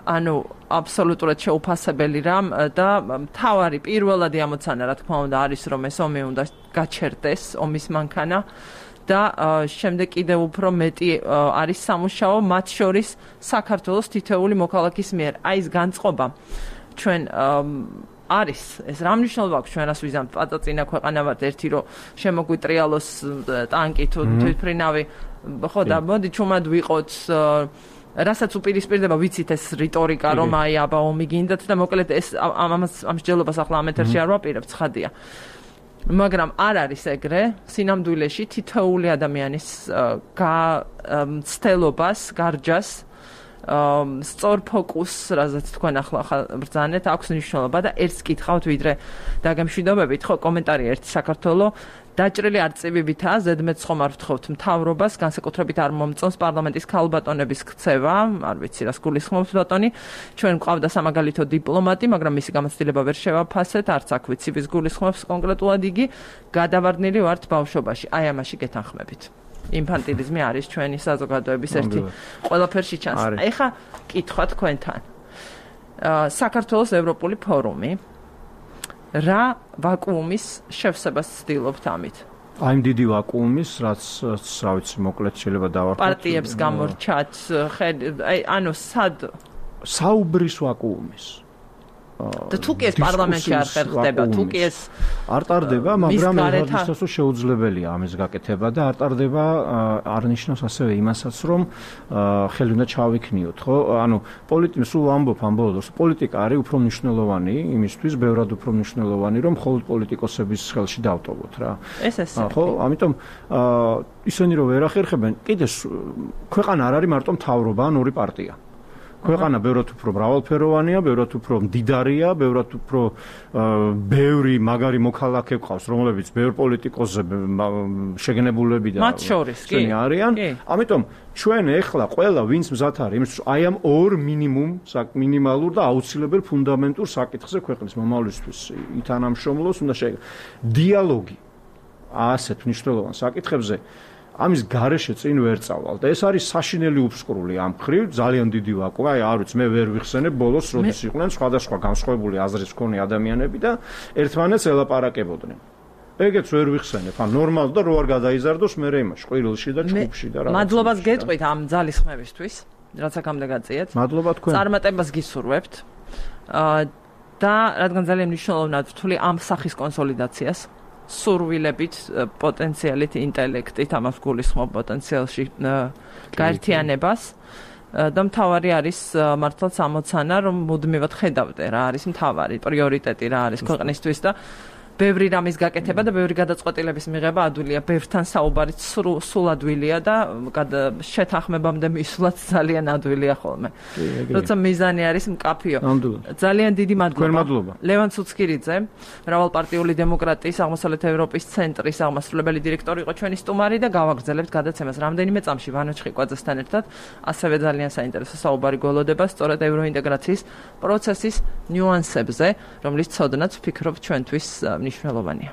ანუ აბსოლუტურად შეუფასებელი რამ და მთავარი პირველადი ამოცანა რა თქმა უნდა არის რომ ეს ომი უნდა გაჩერდეს ომის მანქანა და შემდეგ კიდევ უფრო მეტი არის სამუშაო მათ შორის საქართველოს თითოეული მოქალაქის მიერ. აი ეს განწყობა ჩვენ არის ეს რა მნიშვნელობა აქვს ჩვენ რას ვიზამთ პაწაწინა ქვეყანა ვართ ერთი რომ შემოგვიტრიალოს ტანკი თუ თვითმფრინავი ხო და მოდი ჩუმად ვიყოთ რასაც უპირისპირდება ვიცით ეს რიტორიკა რომ აი აბა ომი გინდათ და მოკლედ ეს ამ მსჯელობას ახლა ამ ეთერში არ ვაპირებ ცხადია. მაგრამ არ არის ეგრე სინამდვილეში თითოეული ადამიანის ცდელობას, გარჯას, სწორ ფოკუსს, რაზეც თქვენ ახლა ბრძანეთ, აქვს მნიშვნელობა და ერთს კითხავთ ვიდრე დაგემშვიდობებით, ხო, კომენტარი ერთი საქართველოს დაჭრილი არწივებითაა, ზედმეტს ხომ არ ვთხოვთ მთავრობას, განსაკუთრებით არ მომწონს პარლამენტის ქალბატონების ქცევა, არ ვიცი რას გულისხმობთ ბატონი, ჩვენ გვყავდა სამაგალითო დიპლომატი, მაგრამ მისი გამოცდილება ვერ შევაფასეთ, არც აქ ვიცი ვის გულისხმობს კონკრეტულად იგი, გადავარდნილი ვართ ბავშვობაში, აი ამაში გეთანხმებით. ინფანტილიზმი არის ჩვენი საზოგადოების ერთი ყველაფერში ჩანს. აი ხა კითხვა თქვენთან. საქართველოს ევროპული ფორუმი რა ვაკუუმის შევსებას ცდილობთ ამით? აი იმ დიდი ვაკუუმის, რაც რა ვიცი, მოკლედ შეიძლება დავარქვათ. პარტიებს გამორჩათ, აი ანუ სად საუბრის ვაკუუმის. და თუ კი ეს პარლამენტში არ ხერხდება, თუ კი ეს არ ტარდება, მაგრამ ერთადერთი შეუძლებელია ამის გაკეთება და არ ტარდება არ ნიშნავს ასევე იმასაც, რომ ხელი უნდა ჩავიქნიოთ, ხო? ანუ პოლიტიკა სულ ამბობ ამ ბოლოს, პოლიტიკა არის უფრო მნიშვნელოვანი იმისთვის, ბევრად უფრო მნიშვნელოვანი, რომ მხოლოდ პოლიტიკოსების ხელში დავტოვოთ რა. ეს ხო, ამიტომ ისინი რომ ვერ ახერხებენ, კიდე ქვეყანა არ არის მარტო მთავრობა ან ორი პარტია. ქვეყანა ბევრად უფრო მრავალფეროვანია, ბევრად უფრო მდიდარია, ბევრად უფრო ბევრი მაგარი მოქალაქე ყავს, რომლებიც ბევრ პოლიტიკოსზე შეგნებულები და მათ შორის კი არიან. ამიტომ ჩვენ ეხლა ყველა ვინც მზად არის იმისთვის, აი ამ ორ მინიმალურ და აუცილებელ ფუნდამენტურ საკითხზე ქვეყნის მომავლისთვის ითანამშრომლოს უნდა დიალოგი ასეთ მნიშვნელოვან საკითხებზე ამის გარეშე წინ ვერ წავალ და ეს არის საშინელი უფსკრული ამ ხრივ ძალიან დიდი ვაკუუმი. აი არ ვიცი მე ვერ ვიხსენებ ბოლოს როდის იყვნენ სხვადასხვა განსხვავებული აზრის მქონე ადამიანები და ერთმანეთს ელაპარაკებოდნენ. ეგეც ვერ ვიხსენებ. ან ნორმალ და რო არ გადაიზარდოს მე იმაში ყვირილში და ჩხუბში და რა. მადლობას გეტყვით ამ ძალისხმებისთვის, რაც აქამდე გაწიეთ. მადლობა თქვენ. წარმატებას გისურვებთ. და რადგან ძალიან მნიშვნელოვნად ვთვლი ამ სახის კონსოლიდაციას. სურვილებით, პოტენციალით, ინტელექტით, ამას გულისხმობ პოტენციალში გაერთიანებას და მთავარი არის მართლაც ამოცანა, რომ მუდმივად ხედავდე რა არის მთავარი პრიორიტეტი, რა არის ქვეყნისთვის და ბევრი რამის გაკეთება და ბევრი გადაწყვეტილების მიღება ადვილია, ბევრთან საუბარიც სულ ადვილია და შეთანხმებამდე მისვლაც ძალიან ადვილია ხოლმე. როცა მიზანი არის მკაფიო. ძალიან დიდი მადლობა. ლევან ცუცკირიძე, მრავალპარტიული დემოკრატიის აღმოსავლეთ ევროპის ცენტრის აღმასრულებელი დირექტორი იყო ჩვენი სტუმარი და გავაგრძელებთ გადაცემას რამდენიმე წამში ვანო ჩხიკვაძესთან ერთად. ასევე ძალიან საინტერესო საუბარი გველოდება სწორედ ევროინტეგრაციის პროცესის ნიუანსებზე, რომლის ცოდნაც ვფიქრობ ჩვენთვის მნიშვნელოვანია.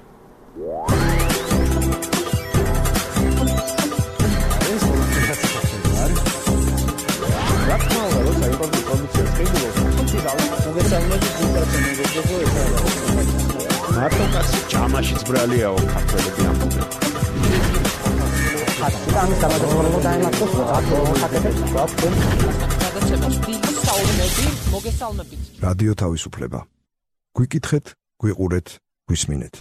მარტო კაცი ჯამაშიც ბრალიაო ქართველები ამბობენ. ხატი ამის დამადროულად დაემართოს, ხატები გვაქვს. მოგესალმებით. დიდი საუბნები, მოგესალმებით. რადიო თავისუფლება. გვიკითხეთ, გვიყურეთ, გვისმინეთ.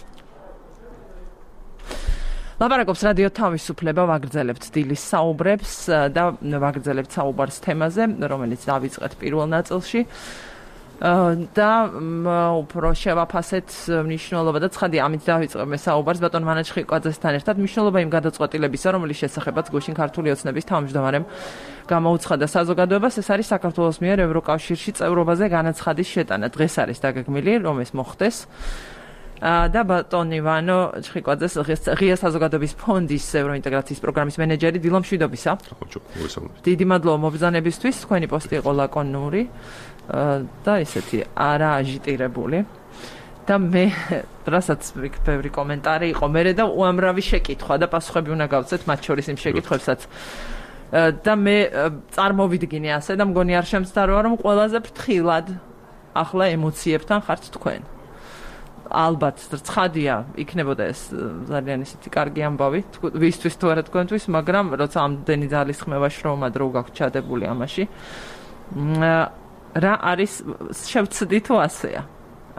ლაპარაკობს რადიო თავისუფლება, ვაგრძელებთ დილის საუბრებს და ვაგრძელებთ საუბარს თემაზე, რომელიც დავიწყეთ პირველ ნაწილში. და უფრო შევაფასეთ მნიშვნელობა და ცხადია ამით დავიწყებთ საუბარს ბატონ მანაჩხიკვაძესთან ერთად მნიშვნელობა იმ გადაწყვეტილებისა, რომელიც შესახებაც გუშინ ქართული ოცნების თავმჯდომარემ გამოუცხადა საზოგადოებას, ეს არის საქართველოს მიერ ევროკავშირში წევრობაზე განაცხადის შეტანა. დღეს არის დაგეგმილი, რომ ეს მოხდეს. და ბატონ ივანო ჩხიკვაძეს ღია საზოგადოების ფონდის ევროინტეგრაციის პროგრამის მენეჯერი დილო მშვიდობისა. დიდი მადლობა მობრძანებისთვის, თქვენი პოსტი იყო ლაკონური და ესეთი არა აჟიტირებული. და მე რასაც ბევრი კომენტარი იყო მერე და უამრავი შეკითხვა და პასუხები უნდა გავცეთ მათ შორის იმ შეკითხვებსაც. და მე წარმოვიდგინე ასე და მგონი არ შემცდაროა რომ ყველაზე ფრთხილად ახლა ემოციებთან ხართ თქვენ. ალბათ ცხადია იქნებოდა ეს ძალიან ისეთი კარგი ამბავი ვისთვის თუ არა თქვენთვის, მაგრამ როცა ამდენი ძალის ხმევა შრომა დრო გაქვთ ჩადებული ამაში რა არის შევცდი თუ ასეა?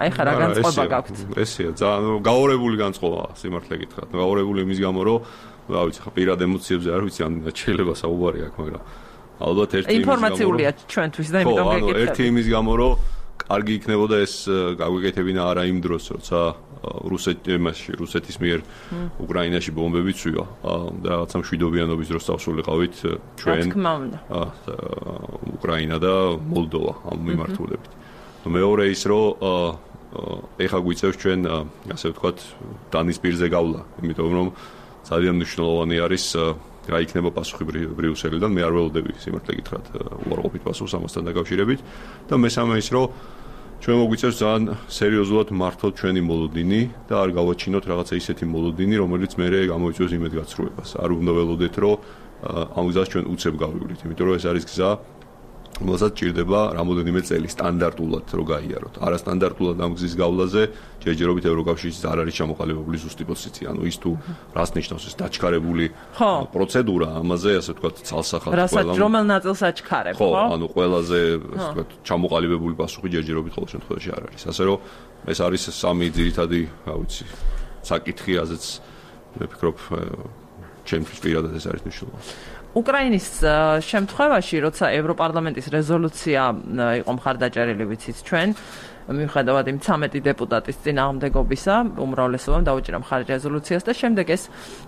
აი ხა რა განწყობა გაქვთ? ესეა ძალიან გაორებული განწყობა სიმართლე გითხრათ. გაორებული იმის გამო რომ რა ვიცი ხა პირად ემოციებზე არ ვიცი ან შეიძლება საუბარი აქვს, მაგრამ ალბათ ერთი ინფორმაციულია ჩვენთვის და იმიტომ გეკითხები. ერთი იმის გამო რომ კარგი იქნებოდა ეს გაგვეკეთებინა არა იმ დროს, როცა რუსეთის მიერ უკრაინაში ბომბები წვია და რაღაცა მშვიდობიანობის დროს დავსულიყავით ჩვენ უკრაინა და მოლდოვა ამ მიმართულებით. მეორე ის რომ ეხა გვიწევს ჩვენ ასე ვთქვათ დანის პირზე გავლა, იმიტომ რომ ძალიან მნიშვნელოვანი არის რა იქნება პასუხი ბრიუსელიდან. მე არ ველოდები სიმართლე გითხრათ უარყოფით პასუხს ამასთან დაკავშირებით და მესამე ის რომ ჩვენ მოგვიწევს ძალიან სერიოზულად მართოთ ჩვენი მოლოდინი და არ გავაჩინოთ რაღაცა ისეთი მოლოდინი, რომელიც მერე გამოიწვევს იმედგაცრუებას. არ უნდა ველოდეთ რომ ამ გზას ჩვენ უცებ გავივლით, იმიტომ რომ ეს არის გზა რომელსაც ჭირდება რამოდენიმე წელი სტანდარტულად რო გაიაროთ. არასტანდარტულად ამ გზის გავლაზე ჯერჯერობით ევროკავშირის არ არის ჩამოყალიბებული ზუსტი პოზიცია. ანუ ის თუ რას ნიშნავს ეს დაჩქარებული პროცედურა, ამაზე ასე ვთქვათ ცალსახად რასაც რომელ ნაწილს აჩქარებ, ხო? ანუ ყველაზე ასე ვთქვათ ჩამოყალიბებული პასუხი ჯერჯერობით ყოველ შემთხვევაში არ არის. ასე რომ ეს არის სამი ძირითადი, რა ვიცი, საკითხი, რაზეც მე ვფიქრობ ჩემთვის პირადად ეს არის მნიშვნელოვანი. უკრაინის შემთხვევაში, როცა ევროპარლამენტის რეზოლუცია იყო მხარდაჭერილი, ვიცით ჩვენ, მიუხედავად იმ 13 დეპუტატის წინააღმდეგობისა, უმრავლესობამ დაუჭირა მხარი რეზოლუციას და შემდეგ ეს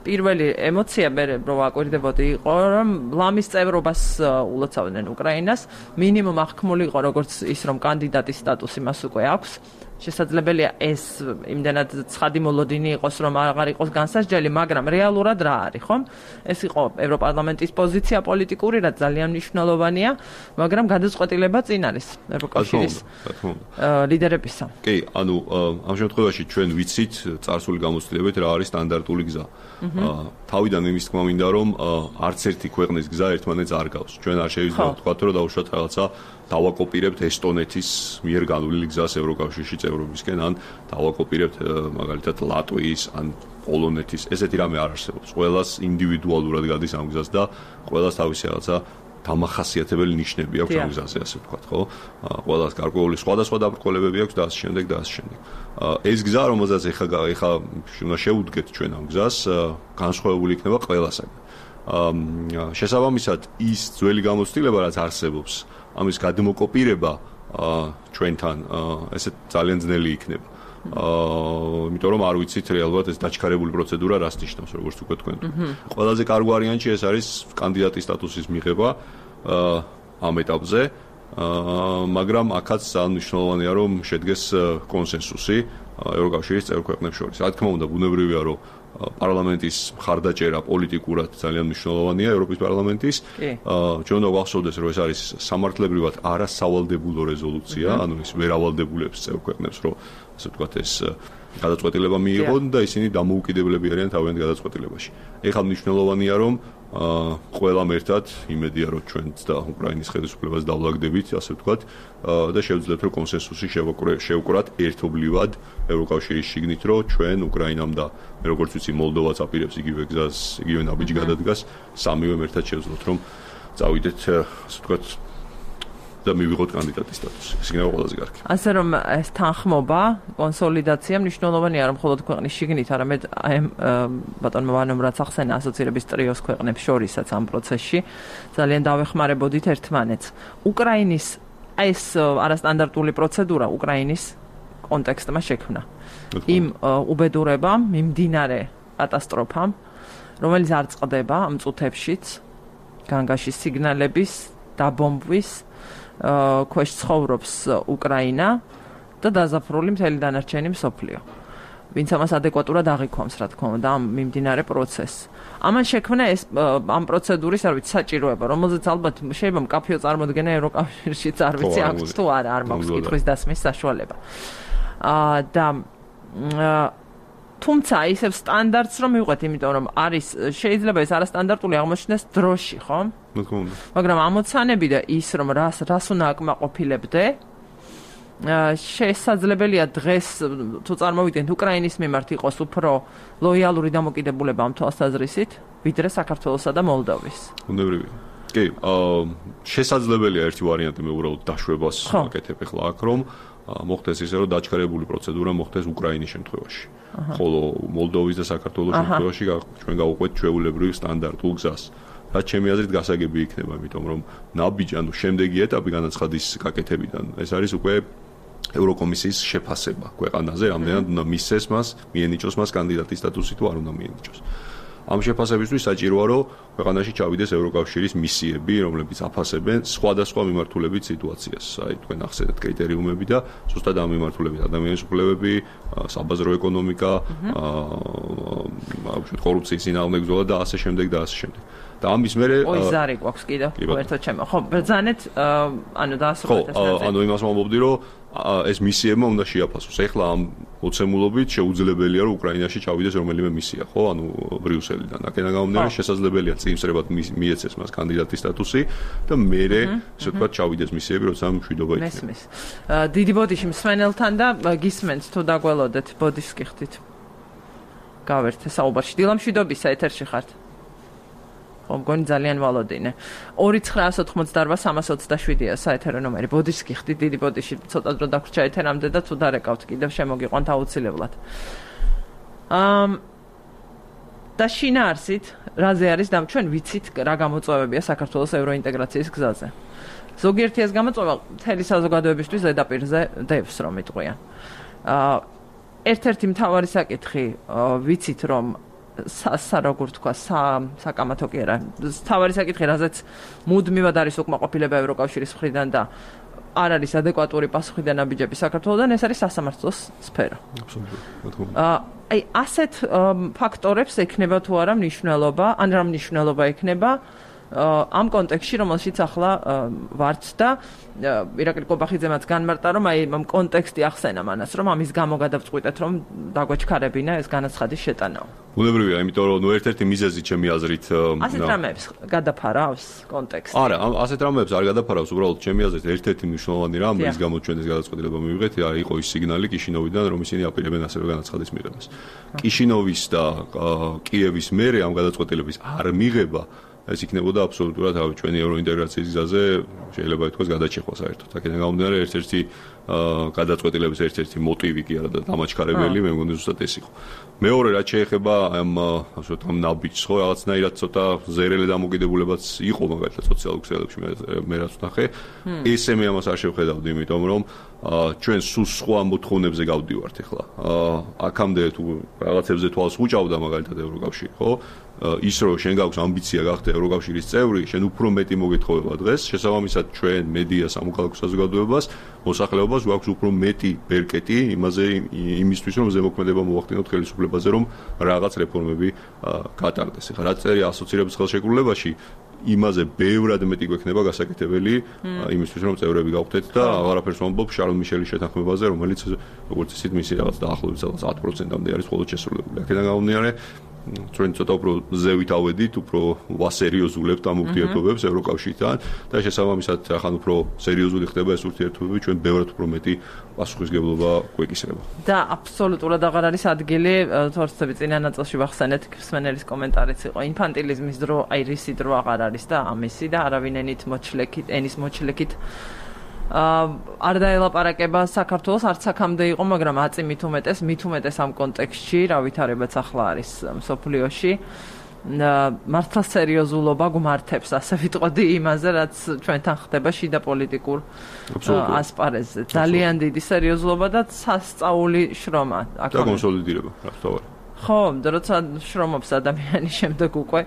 პირველი ემოცია მე რო ვაკვირდებოდი იყო, რომ ლამის წევრობას ულოცავდნენ უკრაინას, მინიმუმ აღქმული იყო როგორც ის, რომ კანდიდატის სტატუსი მას უკვე აქვს. შესაძლებელია ეს იმდენად ცხადი მოლოდინი იყოს, რომ აღარ იყოს განსაზღვრელი, მაგრამ რეალურად რა არის, ხომ? ეს იყო ევროპარლამენტის პოზიცია პოლიტიკური, რაც ძალიან მნიშვნელოვანია, მაგრამ გადაწყვეტილება წინ არის ევროკავშირის ლიდერებისა. კი, ანუ ამ შემთხვევაში ჩვენ ვიცით წარსული გამოცდილებით რა არის სტანდარტული გზა. თავიდან იმის თქმა მინდა, რომ არც ერთი ქვეყნის გზა ერთმანეთს არ გავს. ჩვენ არ შეიძლება ვთქვათ, რომ დავუშვათ რაღაცა დავაკოპირებთ ესტონეთის მიერ განვლილი გზას ევროკავშირში წევრობისკენ, ან დავაკოპირებთ მაგალითად ლატვიის ან პოლონეთის. ესეთი რამე არ არსებობს. ყველას ინდივიდუალურად გადის ამ გზას და ყველას თავისი რაღაცა დამახასიათებელი ნიშნები აქვს ამ გზაზე, ასე ვთქვათ, ხო? ყველას გარკვეული სხვადასხვა დაბრკოლებები აქვს და ასე შემდეგ და ასე შემდეგ. ეს გზა, რომელზეც ეხა უნდა შევუდგეთ ჩვენ ამ გზას, განსხვავებული იქნება ყველასაგან. შესაბამისად, ის ძველი გამოცდილება, რაც არსებობს, ამის გადმოკოპირება ჩვენთან ესე ძალიან ძნელი იქნება. იმიტომ რომ არ ვიცით რეალურად ეს დაჩქარებული პროცედურა რას ნიშნავს, როგორც უკვე თქვენ. ყველაზე კარგი ვარიანტი ეს არის კანდიდატის სტატუსის მიღება ამ ეტაპზე, მაგრამ აქაც ძალიან მნიშვნელოვანია რომ შედგეს კონსენსუსი ევროკავშირის წევრ ქვეყნებს შორის. რა თქმა უნდა, ბუნებრივია რომ პარლამენტის მხარდაჭერა პოლიტიკურად ძალიან მნიშვნელოვანია ევროპის პარლამენტის. ჩვენ უნდა გვახსოვდეს, რომ ეს არის სამართლებრივად არასავალდებულო რეზოლუცია, ანუ ის ვერ ავალდებულებს წევრ ქვეყნებს, რომ ასე ვთქვათ ეს გადაწყვეტილება მიიღონ და ისინი დამოუკიდებლები არიან თავიანთ გადაწყვეტილებაში. ეხლა მნიშვნელოვანია, რომ ყველამ ერთად იმედია, რომ ჩვენც და უკრაინის ხელისუფლებას დავლაგდებით, ასე ვთქვათ, და შევძლებთ, რომ კონსენსუსი შევკრათ ერთობლივად ევროკავშირის შიგნით, რომ ჩვენ უკრაინამ და როგორც ვიცი, მოლდოვაც აპირებს იგივე გზას, იგივე ნაბიჯი გადადგას, სამივემ ერთად შევძლოთ, რომ წავიდეთ, ასე ვთქვათ, და მივიღოთ კანდიდატის სტატუსი. ეს იქნება ყველაზე კარგი. ასე რომ ეს თანხმობა, კონსოლიდაცია მნიშვნელოვანია არა მხოლოდ ქვეყნის შიგნით, არამედ აი ბატონმა ვანომ რაც ახსენა ასოცირების ტრიოს ქვეყნებს შორისაც ამ პროცესში ძალიან დავეხმარებოდით ერთმანეთს. უკრაინის ეს არასტანდარტული პროცედურა უკრაინის კონტექსტმა შექმნა. იმ უბედურებამ, მიმდინარე კატასტროფამ, რომელიც არ წყდება ამ წუთებშიც, განგაში სიგნალების დაბომბვის ქვეშ ცხოვრობს უკრაინა და დაზაფრული მთელი დანარჩენი მსოფლიო. ვინც ამას ადეკვატურად აღიქვამს, რა თქმა უნდა, ამ მიმდინარე პროცესს. ამან შექმნა ეს ამ პროცედურის, არ ვიცი, საჭიროება, რომელზეც ალბათ შეიძლება მკაფიო წარმოდგენა ევროკავშირშიც არ ვიცი აქვს თუ არა, არ მაქვს კითხვის დასმის საშუალება. და თუმცა ისევ სტანდარტს რომ მივყვეთ, იმიტომ რომ არის შეიძლება ეს არასტანდარტული აღმოჩნდეს დროში, ხო? მაგრამ ამოცანები და ის რომ რას უნდა აკმაყოფილებდე, შესაძლებელია დღეს თუ წარმოვიდგენთ უკრაინის მიმართ იყოს უფრო ლოიალური დამოკიდებულება ამ თვალსაზრისით, ვიდრე საქართველოსა და მოლდოვის. უნებრივია. კი, შესაძლებელია ერთი ვარიანტი მე უბრალოდ დაშვებას ვაკეთებ ახლა აქ რომ მოხდეს ისე რომ დაჩქარებული პროცედურა მოხდეს უკრაინის შემთხვევაში. ხოლო მოლდოვის და საქართველოს შემთხვევაში ჩვენ გავუყვეთ ჩვეულებრივ სტანდარტულ გზას. რაც ჩემი აზრით გასაგები იქნება, იმიტომ რომ ნაბიჯი, ანუ შემდეგი ეტაპი განაცხადის გაკეთებიდან, ეს არის უკვე ევროკომისიის შეფასება ქვეყანაზე, ამდენად უნდა მისცეს მას, მიენიჭოს მას კანდიდატის სტატუსი თუ არ უნდა მიენიჭოს. ამ შეფასებისთვის საჭიროა რომ ქვეყანაში ჩავიდეს ევროკავშირის მისიები, რომლებიც აფასებენ სხვადასხვა მიმართულებით სიტუაციას. აი თქვენ ახსენეთ კრიტერიუმები და ზუსტად ამ მიმართულებით ადამიანის უფლებები, საბაზრო ეკონომიკა, კორუფციის წინააღმდეგობა და ასე შემდეგ და ასე შემდეგ. და ამის მერე ზარი გვაქვს კიდევ ერთად ჩემო. ხო, ბრძანეთ, ანუ დაასრულეთ ეს ნაწილი. ანუ იმას ვამბობდი რომ ეს მისიებმა უნდა შეაფასოს. ეხლა ამ მოცემულობით შეუძლებელია რომ უკრაინაში ჩავიდეს რომელიმე მისია, ხო? ანუ ბრიუსელიდან. აქედან გამომდინარე შესაძლებელია წინსრებად მიეცეს მას კანდიდატის სტატუსი და მერე ესე ვთქვათ ჩავიდეს მისიები, როცა მშვიდობა იქნება. მესმის. დიდი ბოდიში მსმენელთან და გისმენთ თუ დაგველოდეთ ბოდიშს გიხდით. გავერთე საუბარში. დილამშვიდობისა ეთერში ხართ. მგონი ძალიან ვალოდინე. 2988327-ია საეთერო ნომერი. ბოდიშს გიხდით, დიდი ბოდიში ცოტა დრო დაგვრჩა ეთერამდე და თუ დარეკავთ კიდევ შემოგიყვანთ აუცილებლად. და შინაარსით, რაზე არის და ჩვენ ვიცით რა გამოწვევებია საქართველოს ევროინტეგრაციის გზაზე. ზოგიერთი ეს გამოწვევა მთელი საზოგადოებისთვის ზედაპირზე დევს, რომ იტყვიან. ერთ-ერთი მთავარი საკითხი ვიცით, რომ როგორ თქვა, საკამათო კი არა. თავარი საკითხი, რაზეც მუდმივად არის უკმაყოფილება ევროკავშირის მხრიდან და არ არის ადეკვატური პასუხი და ნაბიჯები საქართველოსთან, ეს არის სასამართლოს სფერო. აბსოლუტურად. აი, ასეთ ფაქტორებს ექნება თუ არა მნიშვნელობა, ან რა მნიშვნელობა ექნება ამ კონტექსტში, რომელშიც ახლა ვართ და ირაკლი კობახიძემაც განმარტა, რომ აი ამ კონტექსტი ახსენა მანას, რომ ამის გამო გადავწყვიტეთ, რომ დაგვეჩქარებინა ეს განაცხადის შეტანაო. უნებრივია, იმიტომ რომ ერთ-ერთი მიზეზი ჩემი აზრით ასეთ რამეებს გადაფარავს კონტექსტი. არა, ასეთ რამეებს არ გადაფარავს, უბრალოდ ჩემი აზრით ერთ-ერთი მნიშვნელოვანი რამ, რის გამოც ჩვენ ეს გადაწყვეტილება მივიღეთ, იყო ის სიგნალი კიშინოვიდან, რომ ისინი აპირებენ ასევე განაცხადის მიღებას. კიშინოვის და კიევის მერე ამ გადაწყვეტილების არ მიღება ეს იქნებოდა აბსოლუტურად ჩვენი ევროინტეგრაციის გზაზე შეიძლება ითქვას გადაჭეხვა საერთოდ. აქედან გამომდინარე ერთ-ერთი გადაწყვეტილების ერთ-ერთი მოტივი კი არა და დამაჩქარებელი, მე მგონი ზუსტად ეს იყო. მეორე რაც შეეხება ამ ასე ვთქვათ ნაბიჯს, ხო, რაღაცნაირად ცოტა ზერელი დამოკიდებულებაც იყო მაგალითად სოციალურ ქსელებში მე რაც ვნახე. ესე მე ამას არ შევხედავდი, იმიტომ რომ ჩვენ სულ სხვა მოთხოვნებზე გავდივართ ახლა. აქამდე თუ რაღაცებზე თვალს უჭავდა მაგალითად ევროკავშირი, ხო? ის რომ შენ გაქვს ამბიცია გახდე ევროკავშირის წევრი, შენ უფრო მეტი მოგეთხოვება დღეს, შესაბამისად ჩვენ მედია სამოქალაქო საზოგადოებას, მოსახლეობას გვაქვს უფრო მეტი ბერკეტი იმაზე იმისთვის რომ ზემოქმედება მოახდინოთ ხელისუფლებაზე, რომ რაღაც რეფორმები გატარდეს. ეხლა რაც წერია ასოცირების ხელშეკრულებაში იმაზე ბევრად მეტი გვექნება გასაკეთებელი იმისთვის რომ წევრები გავხდეთ და აღარაფერს ვამბობ შარლ მიშელის შეთანხმებაზე, რომელიც როგორც ისიც მისი რაღაც დაახლოებით 10%-ამდე არის მხოლოდ შესრულებული. აქედან გამომდინარე ჩვენ ცოტა უფრო ზევით ავედით, უფრო ვასერიოზულებთ ამ ურთიერთობებს ევროკავშირთან და შესაბამისად ახლა უფრო სერიოზული ხდება ეს ურთიერთობები, ჩვენ ბევრად უფრო მეტი პასუხისგებლობა გვეკისრება. და აბსოლუტურად აღარ არის ადგილი, თორცები წინა ნაწილში ვახსენეთ, მსმენელის კომენტარიც იყო, ინფანტილიზმის დრო, აი რისი დრო აღარ არის და ამისი და არავინ ენის მოჩლექით არ დაელაპარაკება საქართველოს არც აქამდე იყო, მაგრამ აწი მით უმეტეს ამ კონტექსტში, რა ვითარებაც ახლა არის მსოფლიოში. მართლა სერიოზულობა გმართებს, ასე ვიტყოდი იმაზე, რაც ჩვენთან ხდება შიდა პოლიტიკურ ასპარეზზე. ძალიან დიდი სერიოზულობა და სასწაული შრომა. და კონსოლიდირება, რა თქმა უნდა. ხო, როცა შრომობს ადამიანი შემდეგ უკვე.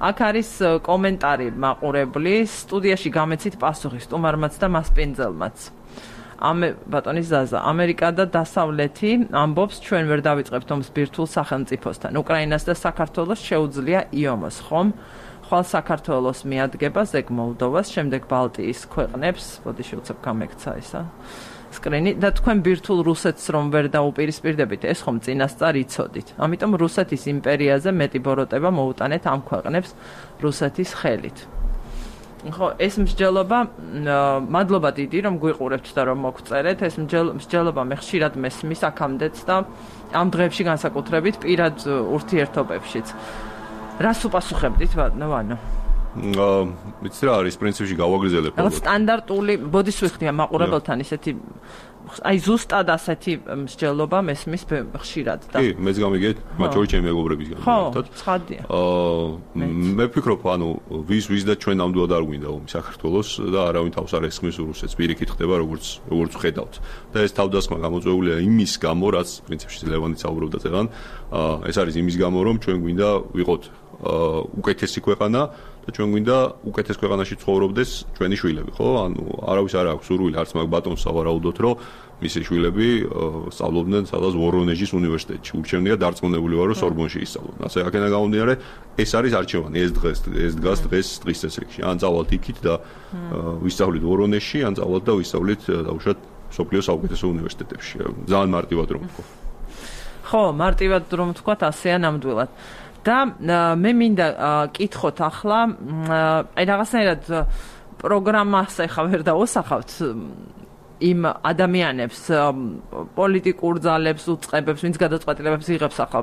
აქ არის კომენტარი მაყურებლის, სტუდიაში გამეცით პასუხი სტუმარმაც და მასპინძელმაც. ბატონი ზაზა, ამერიკა და დასავლეთი ამბობს, ჩვენ ვერ დავიწყებთ ომს ბირთვულ სახელმწიფოსთან. უკრაინას და საქართველოს შეუძლია იომოს, ხომ? ხვალ საქართველოს მიადგება, ზეგ მოლდოვას, შემდეგ ბალტიის ქვეყნებს, ბოდიში უცებ გამექცა ისა. სკრინი და თქვენ ბირთვულ რუსეთს რომ ვერ დაუპირისპირდებით, ეს ხომ წინასწარ იცოდით. ამიტომ რუსეთის იმპერიაზე მეტი ბოროტება მოუტანეთ ამ ქვეყნებს რუსეთის ხელით. ხო, ეს მსჯელობა, მადლობა დიდი რომ გვიყურებთ და რომ მოგწერეთ, ეს მსჯელობა მე ხშირად მესმის აქამდეც და ამ დღეებში განსაკუთრებით პირად ურთიერთობებშიც. რას უპასუხებდით, ვანო? ვიცი რა არის პრინციპში გავაგრძელებ. რაღაც სტანდარტული ბოდიშ ვიხდია მაყურებელთან ისეთი აი ზუსტად ასეთი მსჯელობა მესმის ხშირად და კი, მეც გამიგეთ, მათ შორის ჩემი მეგობრებისგან. ხო, ცხადია. მე ვფიქრობ, ვის და ჩვენ ნამდვილად არ გვინდა ომი საქართველოს და არავინ თავს არ ესხმის რუსეთს, პირიქით ხდება როგორც ვხედავთ. და ეს თავდასხმა გამოწვეულია იმის გამო, რაც პრინციპში ლევანიც საუბრობდა წეგან, ეს არის იმის გამო, რომ ჩვენ გვინდა ვიყოთ უკეთესი ქვეყანა და ჩვენ გვინდა უკეთეს ქვეყანაში ცხოვრობდეს ჩვენი შვილები, ხო? არავის არ აქვს სურვილი, არც მაგ ბატონს სავარაუდოთ, რომ მისი შვილები სწავლობდნენ სადღაც ვორონეჟის უნივერსიტეტში. ურჩევნია დარწმუნებული ვარ, რომ სორბონში ისწავლონ. ასე აქედან გამომდინარე, ეს არის არჩევანი, ეს დგას დღის წესრიგში. ან წავალთ იქით და ვისწავლით ვორონეჟში, ან წავალთ და ვისწავლით დაუშვათ სოფლიოს საუკეთესო უნივერსიტეტებში. ძალიან მარტივად რომ ვთქვა. ხო, მარტივად რომ ვთქვა, ასეა ნამდვილად. და მე მინდა კითხოთ ახლა, აი რაღაცნაირად პროგრამას ახლა ვერ დავოსახავთ იმ ადამიანებს, პოლიტიკურ ძალებს, უწყებებს, ვინც გადაწყვეტილებებს იღებს ახლა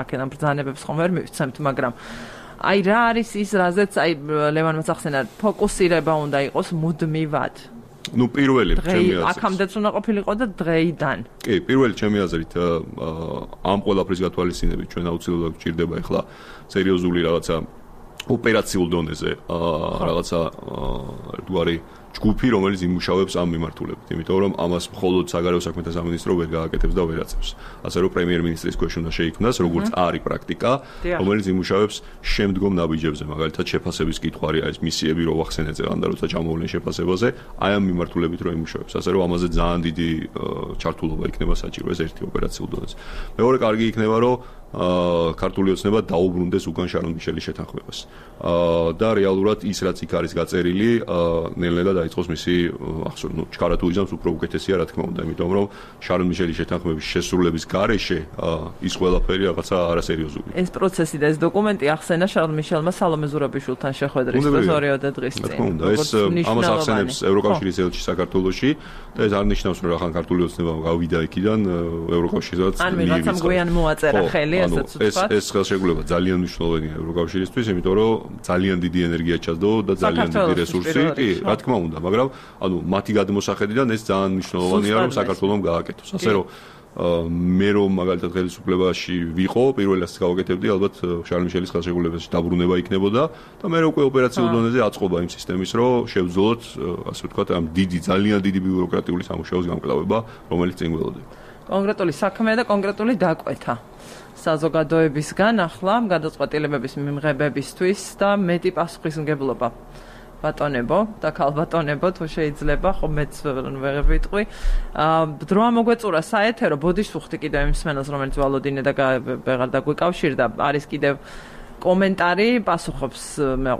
აქედან ბრძანებებს ხომ ვერ მივცემთ, მაგრამ აი რა არის ის, რაზეც აი ლევანმა ახსენა, ფოკუსირება უნდა იყოს მუდმივად. ნუ პირველი ჩემი აზრით. აქამდეც უნდა ყოფილიყო და დღეიდან. კი, პირველი ჩემი აზრით ამ ყველაფრის გათვალისწინებით ჩვენ აუცილებლად გვჭირდება ახლა სერიოზული რაღაცა ოპერაციულ დონეზე რაღაცა ერთგვარი ჯგუფი, რომელიც იმუშავებს ამ მიმართულებით, იმიტომ რომ ამას მხოლოდ საგარეო საქმეთა სამინისტრო ვერ გააკეთებს და ვერ აწევს. ასე რომ პრემიერ-მინისტრის ქვეშ უნდა შეიქმნას, როგორც არის პრაქტიკა, რომელიც იმუშავებს შემდგომ ნაბიჯებზე, მაგალითად შეფასების კითხვარი არის მისიები რო ვახსენეთ ზეგან და როცა ჩამოვლენ შეფასებაზე, აი ამ მიმართულებით რო იმუშავებს. ასე რომ ამაზე ძალიან დიდი ჩართულობა იქნება საჭირო ეს ერთი ოპერაციულ დონეზე. მეორე კარგი იქნება რომ ქართული ოცნება დაუბრუნდეს უკან შარონ მიშელის შეთანხმებას. და რეალურად ის რაც იქ არის გაწერილი, ნელ-ნელა დაიწყოს მისი ახსოვს, ჩქარა თუ იზამს უფრო უკეთესია, რა თქმა უნდა, იმიტომ რომ შარონ მიშელის შეთანხმების შესრულების გარეშე ის ყველაფერი რაღაცა არასერიოზული. ეს პროცესი და ეს დოკუმენტი ახსენა შარონ მიშელმა სალომე ზურაბიშვილთან შეხვედრის დროს 2 დღის წინ. რა თქმა უნდა, ეს ამას ახსენებს ევროკავშირის ელჩი საქართველოში და ეს არ ნიშნავს რომ ახლა ქართული ოცნება გავიდა იქიდან ევროკავშირსაც ან ვიღაცამ გვიან მოაწერა ხელი. ეს ხელშეკრულება ძალიან მნიშვნელოვანია ევროკავშირისთვის, იმიტომ რომ ძალიან დიდი ენერგია ჩადო და ძალიან დიდი რესურსი, კი, რა თქმა უნდა, მაგრამ მათი გადმოსახედიდან ეს ძალიან მნიშვნელოვანია, რომ საქართველოს გააკეთოს. ასე რომ მე რომ მაგალითად ხელისუფლებაში ვიყო, პირველად გავაკეთებდი ალბათ შარლ მიშელის ხელშეკრულებაში დაბრუნება იქნებოდა და მე უკვე ოპერაციულ დონეზე აწყობა იმ სისტემის, რომ შევძლოთ, ასე ვთქვათ, ამ ძალიან დიდი ბიუროკრატიული სამუშაოს გამკლავება, რომელიც წინ გველოდება. კონკრეტული საქმე და კონკრეტული დაკვეთა. საზოგადოებისგან ახლა გადაწყვეტილებების მიმღებებისთვის და მეტი პასუხისმგებლობა. ბატონებო და ქალბატონებო, თუ შეიძლება, ხო მეც ვერ ვიტყვი. დრო ამოგვეწურა საეთერო, ბოდიშ ვუხდი კიდევ იმ მსმენელს, რომელიც ვალოდინე და ვეღარ დაგვიკავშირდა, არის კიდევ კომენტარი, პასუხობს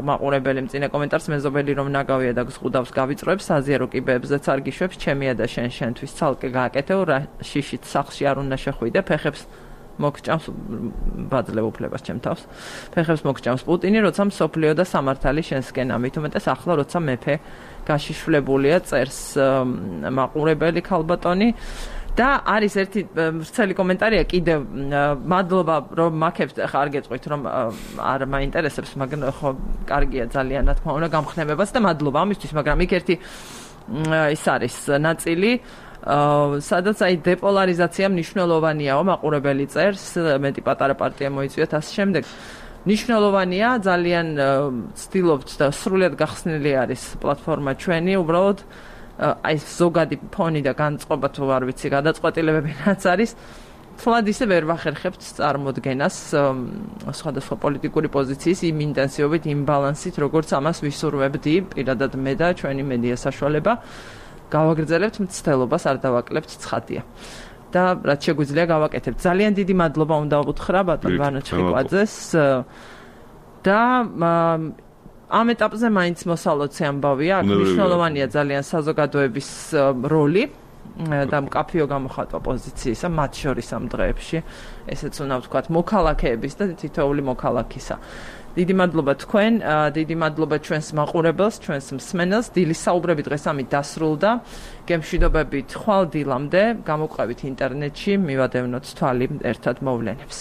მაყურებელი მწინე კომენტარს, მეზობელი რომ ნაგავია და გზღუდავს გავიწროებს, საზიარო კიბეებზეც არ გიშვებს, ჩემია და შენთვის ცალკე გააკეთე, რა შიშით სახლში არ უნდა შეხვიდე, ფეხებს მოგჭამს ბაძლევ უფლებას ჩემ თავს. ფეხებს მოგჭამს პუტინი, როცა მსოფლიო და სამართალი შენსკენ ამით უმეტეს ახლა როცა მეფე გაშიშვლებულია, წერს მაყურებელი ქალბატონი. და არის ერთი ვრცელი კომენტარია კიდევ, მადლობა რომ მაქებთ, ხა არ გეტყვით რომ არ მაინტერესებს, მაგრამ ხო კარგია ძალიან, რა თქმა უნდა, გამხნევებას და მადლობა ამისთვის, მაგრამ იქ ერთი ის არის ნაწილი სადაც აი დეპოლარიზაცია მნიშვნელოვანიაო მაყურებელი წერს მეტი პატარა პარტია მოიწვიათ ასე შემდეგ მნიშვნელოვანია ძალიან ცდილობთ და სრულად გახსნილი არის პლატფორმა ჩვენი უბრალოდ აი ზოგადი ფონი და განწყობა თუ არ ვიცი გადაწყვეტილებები რაც არის თლად ისე ვერ ვახერხებთ წარმოდგენას სხვადასხვა პოლიტიკური პოზიციის იმ ინტენსივობით იმ ბალანსით როგორც ამას ვისურვებდი პირადად მე და ჩვენი მედია საშუალება გავაგრძელებთ მცდელობას არ დავაკლებთ ცხადია და რაც შეგვიძლია გავაკეთებთ ძალიან დიდი მადლობა უნდა უთხრა ბატონ ვანო ჩხიკვაძეს და ამ ეტაპზე მაინც მოსალოცე ამბავია აქ მნიშვნელოვანია ძალიან საზოგადოების როლი და მკაფიო გამოხატვა პოზიციისა მათ შორის ამ დღეებში ესეც უნდა ვთქვათ მოქალაქეების და თითოეული მოქალაქისა დიდი მადლობა თქვენ დიდი მადლობა ჩვენს მაყურებელს ჩვენს მსმენელს დილის საუბრები დღეს ამით დასრულდა გემშვიდობებით ხვალ დილამდე გამოგვყევით ინტერნეტში მივადევნოთ თვალი ერთად მოვლენებს